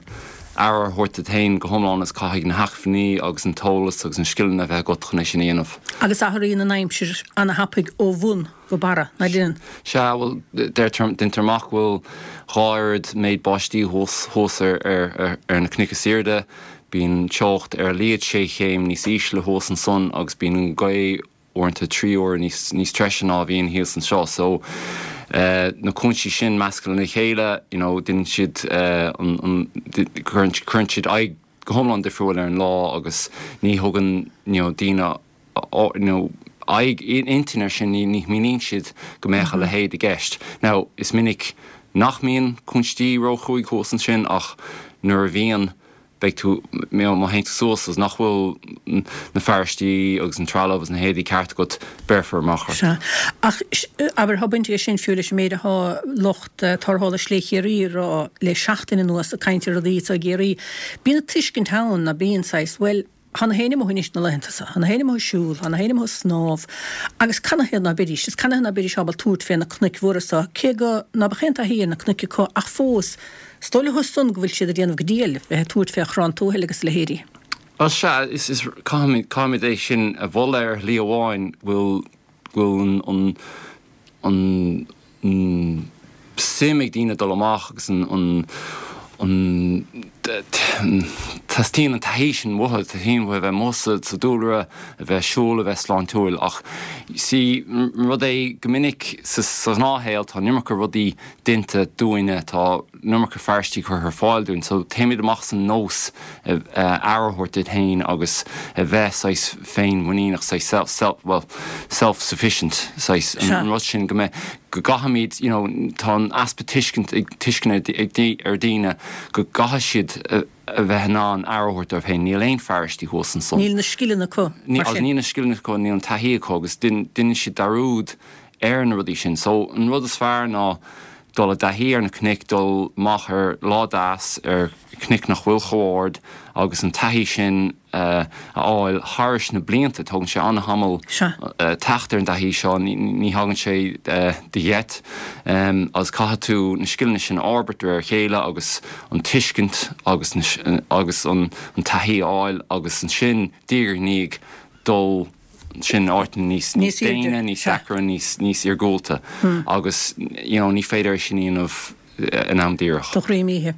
aire a thabhairt duit féin go hiomlán agus caithfidh na hacmhainní agus an t-eolas agus na scileanna a bheith agat chun é sin a dhéanamh. Agus athraíonn an aimsir ana-thapaidh ó bhun go barra, ná deineann? Sea, bhuel, deirtear, deintear amach go bhfuil dhá oiread méid báistí thuas thuas ar ar ar na cnoic is aoirde. Bíonn teocht ar a laghad sé chéim níos ísle thuas ansan agus bíonn an ghaoth uaireanta trí huaire níos níos treise ná a bhíonn thíos anseo. So na cúinsí sin measctha lena chéile, you know, deineann siad an an cuireann cuireann siad aghaidh go hiomlán difriúil ar an lá agus ní thugann you know daoine you know aghaidh intinn air sin, ní ní shmaoiníonn siad go mbeadh a leithéid i gceist. Now is minic nach mbíonn cúinsí róchruaidh thuas ansin ach nuair a bhíonn, beidh tú, má théann tú suas agus nach bhfuil na fearaistí agus an trealamh agus na héadaí ceart agat, béarfar amach ort. Sea. Ach, abair, tá baint aige sin fiú leis an méid atá lucht tarrthála Sléibhte Chiarraí ag rá le seachtain anuas ag caint ar rudaí atá i gCiarraí. Bíonn an tuiscint ann, ná bíonn, saghas, bhuel, Tá na héinne amuigh anois na laethanta seo, tá na héinne amuigh ag siúl, tá na héinne amuigh ag snámh, agus canathaobh ná beidís, is canathaobh ná beidís ábalta tabhairt fé na cnoic mhóra seo, cé go ná beadh aon taithí ar na cnoic acu, ach fós, is dóigh leo san go bhfuil siad ag déanamh go diail, bheith ag tabhairt fé Chrann Tuathail agus a leithéidí. Bhuel, sea, is, is, caithfimid, caithfimid é sin a mholadh ar shlí amháin, go bhfuil, go bhfuil an, an, an suim ag daoine dul amach agus an, an, an, teastaíonn an taithí sin uathu, teastaíonn uathu a bheith amuigh sa, sa dúlra, a bheith ag siúl, a bheith sláintiúil ach see, rud é go minic sa, sa ghnáthshaol tá an iomarca rudaí déanta dúinne, tá an iomarca fearaistí curtha ar fáil dúinn so téimid amach as an nós aire a thabhairt duit féin agus a bheith saghas féinmhuiníneach, saghas self, self, well, self-sufficient, saghas an rud sin go mbeidh, go gcaithfimid, you know, tá an easpa tuiscint ag, tuisceana ag, ar daoine go gcaithfidh siad a bheith in ann aire a thabhairt dóibh féin. Níl aon fearaistí thuas ansan. Níl na scileanna acu, mar sin. Níl na scileanna acu, níl an taithí acu agus deineann siad dearúd ar na rudaí sin. So, an rud is fearr ná dul i dtaithí ar na cnoic, dul amach ar lá deas ar chnoic nach bhfuil chomh ard agus an taithí sin a fháil thairis na blianta. Tógann sé an-tamall teacht ar an dtaithí seo, ní thagann sé de gheit agus caithfidh tú na scileanna sin a fhorbairt de réir a chéile agus an tuiscint agus agus an taithí a fháil agus ansin diaidh ar ndiaidh dul sin áiteanna níos níos déine, níos deacra, níos níos iargúlta agus you know ní féidir é sin a dhéanamh in am díreach. Do dhroim oíche.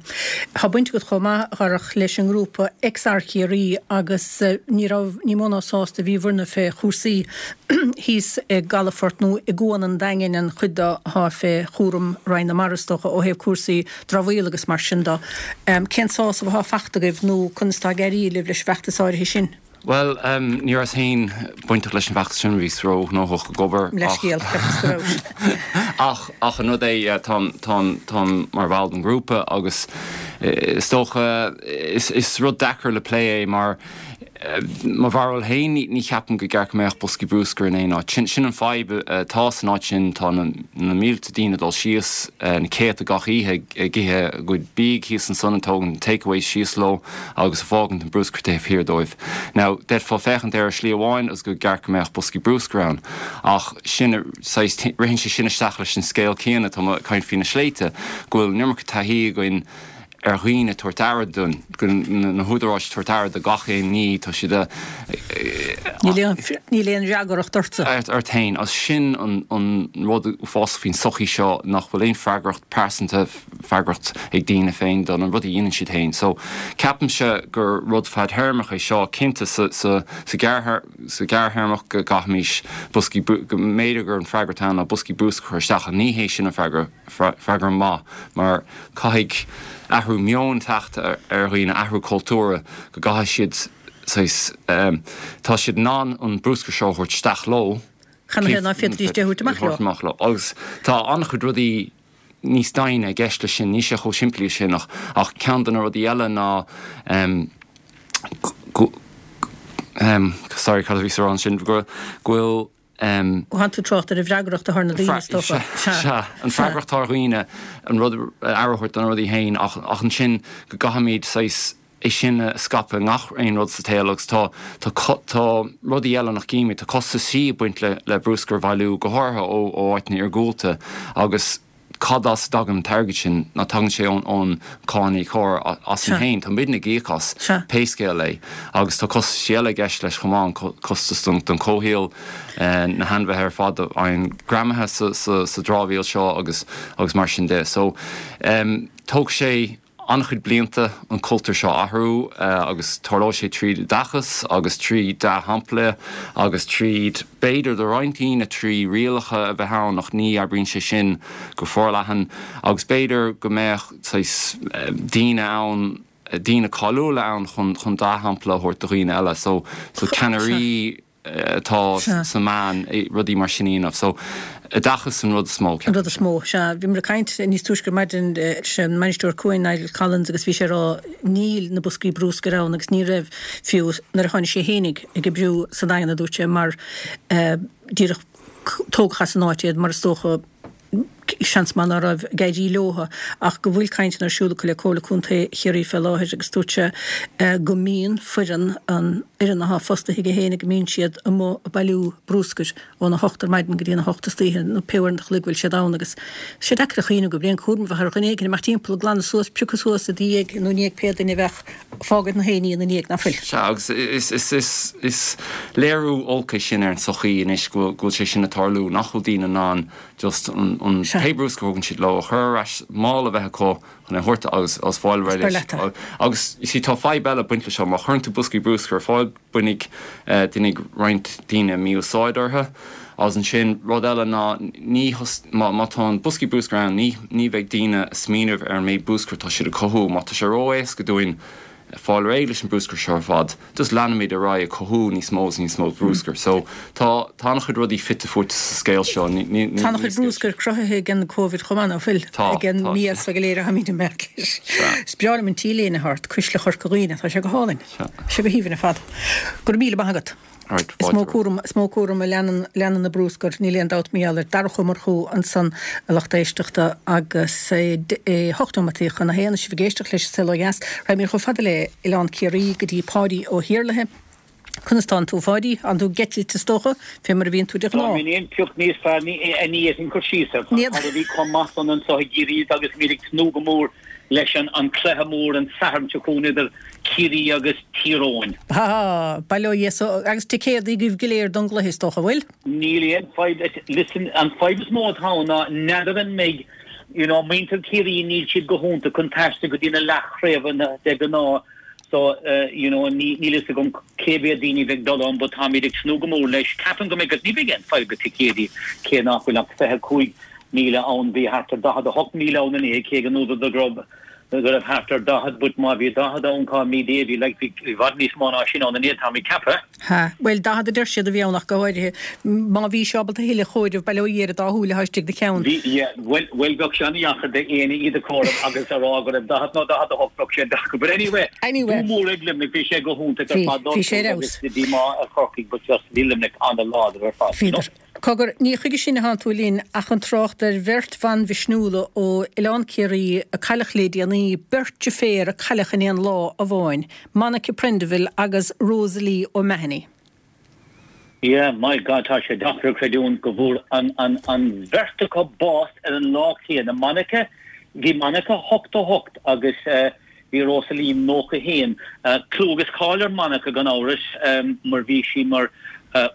Tá baint agat chomh maith, a Dharach, leis an ngrúpa XR Chiarraí agus ní raibh, ní mó ná sásta a bhíobhairne fé chúrsaí thíos i gcalafort nó i gCuan an Daingin, an chuid de atá fé chúram Roinn na Mara is dócha, ó thaobh cúrsaí dramhaíola agus mar sin de. Cén sásamh atá fachta agaibh nó conas atá ag éirí libh leis an bhfeachtas áirithe sin? Bhuel, ní rabhas féin bainteach leis an bhfeachtas sin, bhíos ró-ghnóthach ag obair ach Leithscéal, cheapas go raibh. ach ach an rud é táim táim táim mar bhall den ghrúpa agus is dócha is is rud deacair le plé é mar mo bharúil féin ní ní cheapaim go gceart go mbeadh boscaí brúscair in aon áit. Sin sin an fadhb atá san áit sin, tá na na mílte daoine ag dul síos, na céadta gach oíche ag ithe a gcuid bídh thíos ansan, ag tógaint takeaways síos leo agus ag fágaint an brúscar taobh thiar dóibh. Now, d'fhéadfá féachaint air ar shlí amháin agus go gceart go mbeadh boscaí brúscair ann, ach sin, saghas, ritheann sé sin isteach leis an scéal céanna, tá mé ag caint faoi na sléibhte, go bhfuil an iomarca taithí againn ar dhaoine tabhairt aire dúinn, go na húdaráis tabhairt aire do gach aon ní, tá siad a. Níl aon, níl aon fhreagracht ortsa. Ort féin, agus sin an, an rud uafásach faoin sochaí seo, nach bhfuil aon freagracht pearsanta, freagracht ag daoine féin do na rudaí a dhéanann siad féin. So, ceapaimse gur rud fadthéarmach é seo, cinnte sa, sa, sa ghearrthéarmach go gcaithfimis boscaí, go mb'fhéidir gur an freagra atá ann ná boscaí brúscair a chur isteach ach ní hé sin an freagra, freagra maith mar caithfidh athrú meoin teacht ar dhaoine, athrú cultúrtha, go gcaithfidh siad saghas, tá siad in ann an brúscar seo a thabhairt isteach leo, Cad ina thaobh ná féadfaidís é a thabhairt amach leo? amach leo. Agus tá an-chuid rudaí níos doimhne i gceist leis sin, níl sé chomh simplí sin ach ach ceann de na rudaí eile ná go sorry cad a bhíos a rá ansin go bhfuil Tánn tú ag trácht ar an bhfreagracht atá ar na daoine is dócha. Sea, an freagracht atá ar dhaoine an rud aire a thabhairt do na rudaí féin ach ach ansin go gcaithfimid saghas é sin a scaipeadh i ngach aon rud sa tsaol agus tá tá tá rudaí eile nach gcímid, tá costaisí ag baint le le brúscar a bhailiú, go háirithe ó ó áiteanna iargúlta agus cad as a dtagann an t-airgead sin? Ná tagann sé ón ón cáiníocóir asainn féin, tá muidne ag íoc as, pé scéal é. Agus tá costaisí eile i gceist leis chomh maith, an costas don don chomhshaol, na hainmhithe ar fad a fhaigheann greamaithe sa sa sa dramhaíl seo agus agus mar sin de. So, tógfaidh sé an-chuid blianta an cultúr seo a athrú agus tarlóidh sé tríd oideachas agus trí dea-shampla agus tríd, b'fhéidir do roinnt daoine, trí rialacha a bheith ann ach ní oibríonn sé sin go forleathan agus b'fhéidir go mbeadh saghas daoine ann, daoine cáiliúla ann chun chun dea-shampla a thabhairt do dhaoine eile. So so ceannairí. atá sna meáin, rudaí mar sin a dhéanamh. So, oideachas an rud is mó, ceapaim. An rud is mó, sea. Bhíomar ag caint níos túisce ar maidin leis an mbainisteoir cuain, Niall Collins, agus bhí sé ag rá níl na boscaí brúscair ann agus ní raibh fiú nuair a tháinig sé fhéinig ag oibriú sa Daingean, a dúirt sé, mar díreach tógadh as an áit iad mar is dócha seans maith ná raibh ag éirí leotha ach go bhfuil cainteanna ar siúl acu le Comhairle Contae Chiarraí fé láthair agus dúirt sé go mbíonn foireann, an fhoireann athá fostaithe aige féin, go mbíonn siad amuigh ag bailiú brúscair óna hocht ar maidin go dtí an hocht istoíche nó pé uair an chloig a bhfuil siad ann agus tá sé deacair a chuimhniú go bhfuil aon chúram a bheadh ar dhuine éigin imeacht timpeall ag glanadh suas, piocadh suas i do dhiaidh nó i ndiaidh pé duine a bheadh ag fágaint na haon ní ina ndiaidh, ná fuil? Sea, agus is, is, is, is léiriú olc é sin ar an tsochaí anois go bhfuil, go bhfuil sé sin ag tarlú, nach bhfuil daoine in ann just an an pé brúscar a thugann siad leo a chur ar ais, mála a bheith acu chun é a thabhairt agus agus fáil réidh leis. Agus you see tá fadhb eile ag baint leis seo, má chuireann tú boscaí brúscair ar fáil bainfidh déanfaidh roinnt daoine mí-úsáid orthu. Agus ansin rud eile ná ní má má tá an boscaí brúscair ann ní ní bheidh daoine ag smaoineamh ar an méid brúscair atá siad ag cothú. Má tá sé ró-éasca dúinn fáil réidh leis an brúscar seo ar fad, just leanfaimid ar aghaidh ag cothú níos mó is níos mó brúscair. So, tá, tá an-chuid rudaí fite fuaite sa scéal seo. Ní, ní, Tá an-chuid brúscair cruthaithe ag an Covid chomh maith, ná fuil? Tá, Ag an tá. mias go léir a tháimid ag imeacht leis. Sea. Is breá liom an T-léine atá ort, Cuisle Chorca Dhuibhne, tá sé go hálainn. Sea. Tá sé go haoibhinn ar fad. Go raibh míle maith agat. Is mó cúram, is mó cúram a leanann, leanann na brúscar, níl aon dabht mar gheall air. Darach Ó Murchú ansan, a lucht éisteachta, agus é hocht nóimeataí chun a haon, is sibh ag éisteacht leis An Saol Ó Dheas. Raghaimid chomh fada le Oileán Ciarraí go dtí Páidí Ó hIarlaithe. Conas tánn tú, a Pháidí? Tánn tú ag eitilt, is dócha, fé mar a bhíonn tú de Tá ghnáth. mé aon phioc níos fearr, ní, ní fhéadfainn cur síos air. Tá Ní. Tá rudaí chomh maith san anseo i gCiarraí agus táimid ag tnúth go mór leis an an cluiche mór an Satharn seo chugainn idir Ciarraí agus Tír Eoghain. Ha, bail ó Dhia so agus ticéadaí agaibh go léir don gcluiche is dócha, bhfuil? Níl aon fadhb, listen, an fadhb is mó atá ann ná n'fheadar an mbeidh, you know, muintir Ciarraí níl siad go hiontach chun taisteal go dtí na leathchraobhanna de ghnáth so, uh, you know, ní, níl fhios agam cé mhéad daoine bheidh dul ann but táimid ag tnúth go mór leis. Ceapaim go mbeidh, ní bheidh aon fadhb le ticéadaí cé nach bhfuil ach fiche cúig míle ann, bhí thart ar daichead a hocht míle ann inné, cé go ndúradar go raibh go raibh thart ar daichead, but má bhí daichead ann cá mí dé bhí like bhí i bhfad níos mó ná sin ann inné, tá mé ag ceapadh. Ha, bhuel daichead a deir siad a bhí ann ach go háirithe. Má bhí sé ábalta a thuilleadh a chomhaireamh, bail ó Dhia ar an dá shúil atá istigh i do cheann. Bhí, yeah, bhuel, bhuel bheadh sé an-dheacair d'éinne iad a chomhaireamh agus a rá go raibh daichead nó daichead a hocht, bheadh sé deacair. But anyway, Anyway. bua mór ag Luimneach, bhí sé go hiontach ar Bhí, fad, bhí sé ar agus fheabhas. díomá ar Chorcaigh but just bhí Luimneach an-láidir ar fad, you know. Bhíodar. Cogar, ní chuige sin a thánn tú linn ach chun trácht ar bheirt bhan mhisniúla ó Oileán Ciarraí a cailleadh le déanaí, beirt deirféar a cailleadh in aon lá amháin, Monica Prendiville agus Rosalie O'Mahony. Yeah, my God, tá sé deacair a chreidiúint go bhfuair an, an, an bheirt acu bás ar an lá céanna. Monica, bhí Monica ochtó a hocht agus eh, bhí Rosalie nócha haon. Clú agus cáil ar Monica gan amhras mar bhí sí mar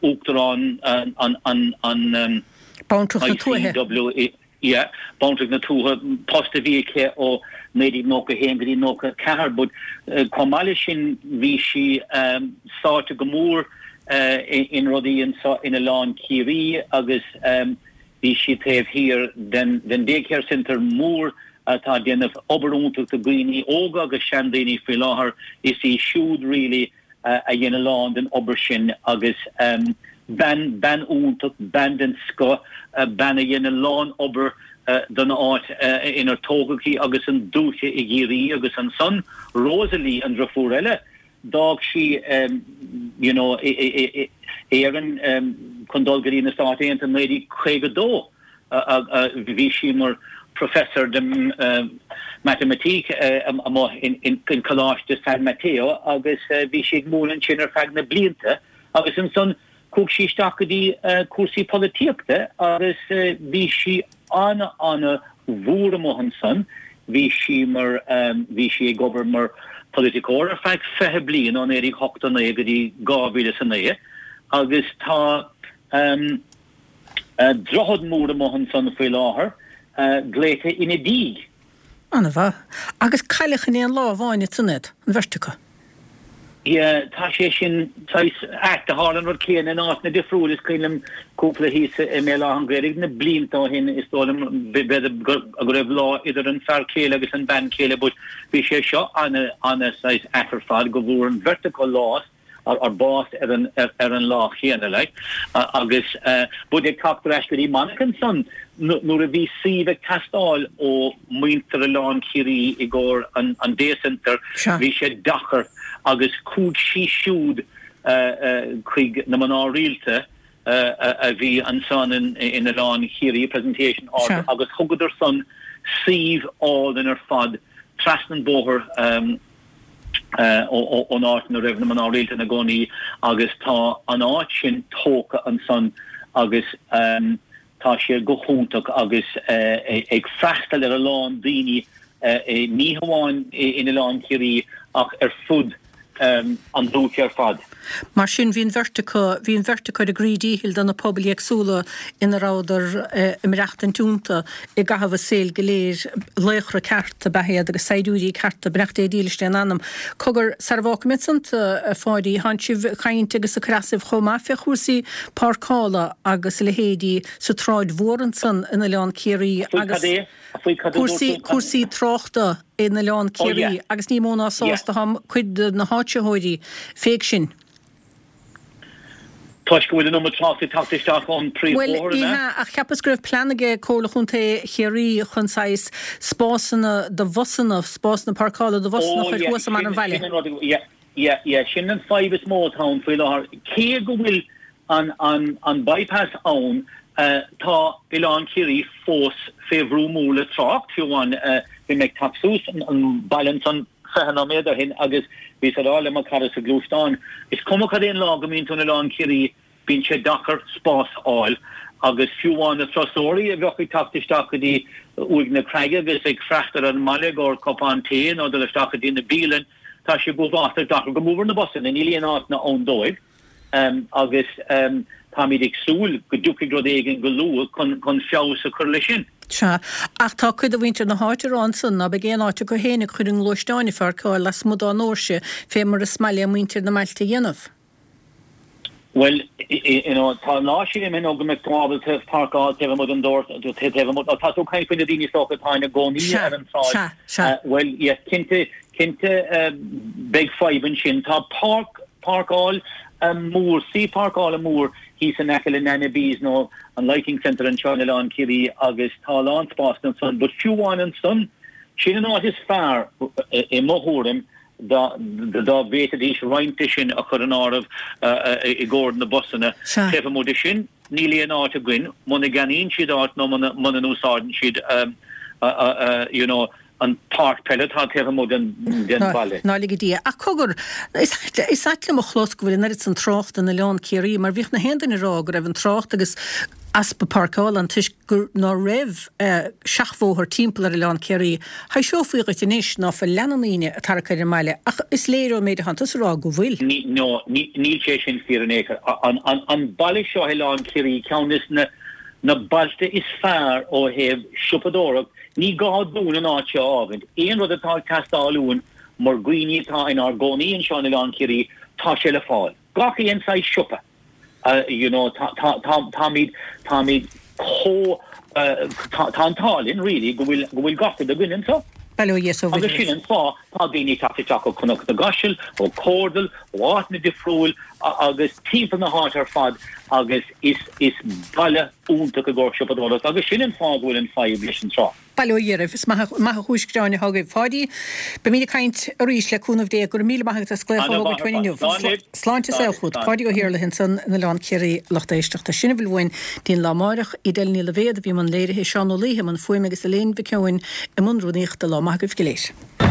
Uachtarán an an an Bantracht na Tuaithe. ICW, yeah, Bantracht na Tuaithe, post a bhí aici ó naoi déag nócha haon go dtí nócha ceathair, but chomh maith leis sin bhí sí sáite go mór in rudaí anseo in Oileán Ciarraí agus bhí sí taobh thiar den den Daycare Centre mór atá ag déanamh obair iontach do dhaoine óga agus seandaoine faoi láthair. Is í siúd really a dhein a lán den obair sin agus bean, bean iontach, bean den scoth, bean a dhein a lán obair don áit inar tógadh í agus an dúiche i gCiarraí agus ansan Rosalie, an driofúr eile, d'fhág sí you know Éirinn chun dul go dtí na Stáit Aontaithe i naoi déag caoga dó. Bhí sí mar professor de matamaitic amuigh in Coláiste San Mateo agus bhí sí ag múineadh ansin ar feadh na blianta agus ansan chuaigh sí isteach go dtí cúrsaí polaitíochta agus bhí sí ana ana mhór amuigh ansan. Bhí sí mar bhí sí ag obair mar polaiticeoir ar feadh fiche bliain ó naoi déag ochtó naoi go dtí dhá mhíle is a naoi agus tá droichead mór amuigh ansan faoi láthair, glaoite ina diaidh. Ana-mhaith. Agus cailleadh in aon lá amháin ansan iad, an bheirt acu. Yeah, tá sé sin saghas ait. Tharla an rud céanna in áiteanna difriúil. Is cuimhin liom cúpla thíos i mBéal Átha an Ghaorthaidh na blianta ó shin, is dóigh liom, b'fhéidir go raibh lá idir an fear céile agus an bean chéile but bhí sé seo ana, ana saghas ait ar fad go bhfuair an bheirt acu lá ar bás ar an ar an lá chéanna like agus but ag teacht ar ais go dtí Monica ansan nuair a bhí suíomh ag teastáil ó muintir Oileán Ciarraí i gcomhair an an day centre bhí sé deacair agus chuaigh sí siúd chuig na mná rialta a bhí ansan in in Oileán Chiarraí Presentation Order agus thugadar san suíomh álainn ar fad trasna an bóthar ón áit ina raibh na mná rialta ina gcónaí agus tá an áit sin tógtha ansan agus tá sé go hiontach agus ag freastal ar a lán daoine ní hamháin in Oileán Ciarraí ach ar fud an dúiche ar fad. Mar sin, bhí an bheirt acu, bhí an bheirt acu ar a gcroí díchill do na pobail éagsúla ina rabhadar ag maireachtaint iontu i gcaitheamh a saoil go léir. Laochra ceart ab ea iad agus saighdiúirí cearta, beannacht Dé dílis lena n-anam. Cogar, sara bhfágfaidh mé ansan tú, a Pháidí, thánn sibh ag caint agus ag cur asaibh chomh maith fé chúrsaí páirceála agus a leithéidí sa tSráid Mhór ansan in Oileán Ciarraí Faoi agus cad é? Faoi cad a dúirt cúrsaí, tú? cúrsaí tráchta in Oileán Oh yeah. Ciarraí agus ní mó ná Yeah. sásta atá cuid de na háitritheoirí féig sin. Toisc go bhfuil an iomad tráchta ag teacht isteach ón Bhuel, príomhbhóthar, ní an ea? hea, ach cheapas go raibh plean aige Comhairle Chontae Chiarraí chun saghas spásanna do bhusanna, spásanna páirceála do bhusanna a Oh chur yeah, thuas i mbarr sin, an bhaile. sin an rud, yeah, yeah, yeah, sin an fadhb is mó atá ann faoi láthair. Cé go bhfuil an, an, an bypass ann, tá Oileán Ciarraí fós fé bhrú mór le trácht, fiú amháin bhí mé ag teacht suas an baile ansan fiche nóiméad ó shin agus bhíos ag rá le mo chara sa ghluaisteán, is cuma cad é an lá go mbíonn tú in Oileán Ciarraí, bíonn sé deacair spás a fháil agus fiú amháin na turasóirí a bheadh ag teacht isteach go dtí Uaigh na Creige agus ag freastal ar an mbaile i gcomhair cupán tae nó dul isteach go dtí na bialann, tá sé go uafásach deacair go mór na busanna, níl aon áiteanna ann dóibh agus táimid ag súil go dtiocfaidh rud éigin go luath chun feabhas a chur leis sin. Sea, ach tá cuid de mhuintir na háite ag rá ansan ná beidh aon áit acu fhéinig chun a ngluaisteáin a pháirceáil lasmuigh dá ndoirse fé mar is maith le muintir na mbailte a dhéanamh. Bhuel, you know, tá an lá sin imithe nó go mbeidh tú ábalta páirceáil taobh amuigh den doras, taobh amuigh, tá tú ag caint faoi na daoine is dócha atá ina gcónaí ar an tsráid. Sea, sea, sea. Bhuel, yes, cinnte, cinnte beidh fadhb ansin. Tá páirc, páirceáil mór, suíomh páirceála mór thíos in aice le Nana B's nó an Lighting Centre anseo in Oileán Ciarraí agus tá a lán spásanna ansan, but fiú amháin ansan, sin an áit is fearr i mo thuairim dá bhféadfaidís roinnt de sin a chur in áireamh i gcomhair na busanna. Taobh amuigh de sin, níl aon áit againn, muna gceannaíonn siad áit nó muna n-úsáideann siad you know an páirc peile atá taobh amuigh den bhaile. Ná lige Dia. Ach cogar, is ait liom a chlos go bhfuil an oiread san tráchta in Oileán Ciarraí mar bhíodh na haon duine ag rá go raibh an trácht agus easpa páirceála ann toisc gur ná raibh seachbhóthar timpeall ar Oileán Ciarraí. Thaibhseofaí dhuit anois ná fuil leath na ndaoine ag tarrac ar an mbaile ach is léir ón méid atánn tusa a rá go bhfuil. No, níl sé sin fíor in aon chor. An baile seo Oileán Ciarraí ceann des na na bailte is fearr ó thaobh siopadóireacht, ní gá dúinn an áit seo a fhágaint. Aon rud atá ag teastáil uainn mar dhaoine atá inár gcónaí anseo in Oileán Ciarraí, tá sé le fáil. Gach aon saghas siopa. You know, tá, tá, tá, táimid, táimid chomh, tá, tá an t-ádh linn really go bhfuil, go bhfuil gach rud againn anseo. Bail ó Dhia is ó Agus sin an fáth, tá daoine ag teacht isteach ó Chnoc na gCaiseal, ó Chomhardal, ó áiteanna difriúil agus timpeall na háite ar fad agus is, is baile iontach i gcomhair siopadóireacht agus sin an fáth go bhfuil an fadhb leis an trácht. Bail ó Dhia oraibh. Is maith an chúis gráin atá agaibh. Pháidí, beimid ag caint arís le cúnamh Dé. Go raibh míle maith agat as glaoch a thógaint uainn inniu. Sláinte is saol chugat. Páidí Ó hIarlaithe ansan in Oileán Ciarraí, lucht éisteachta. Sin a bhfuil uainn dtí'n lá amáireach. Edel Ní Loibhéad a bhí i mbun léirithe, Seán Ó Laoithe i mbun fuaime agus Elaine Mhic Eoin i mbun rúnaíochta. Lá maith agaibh go léir.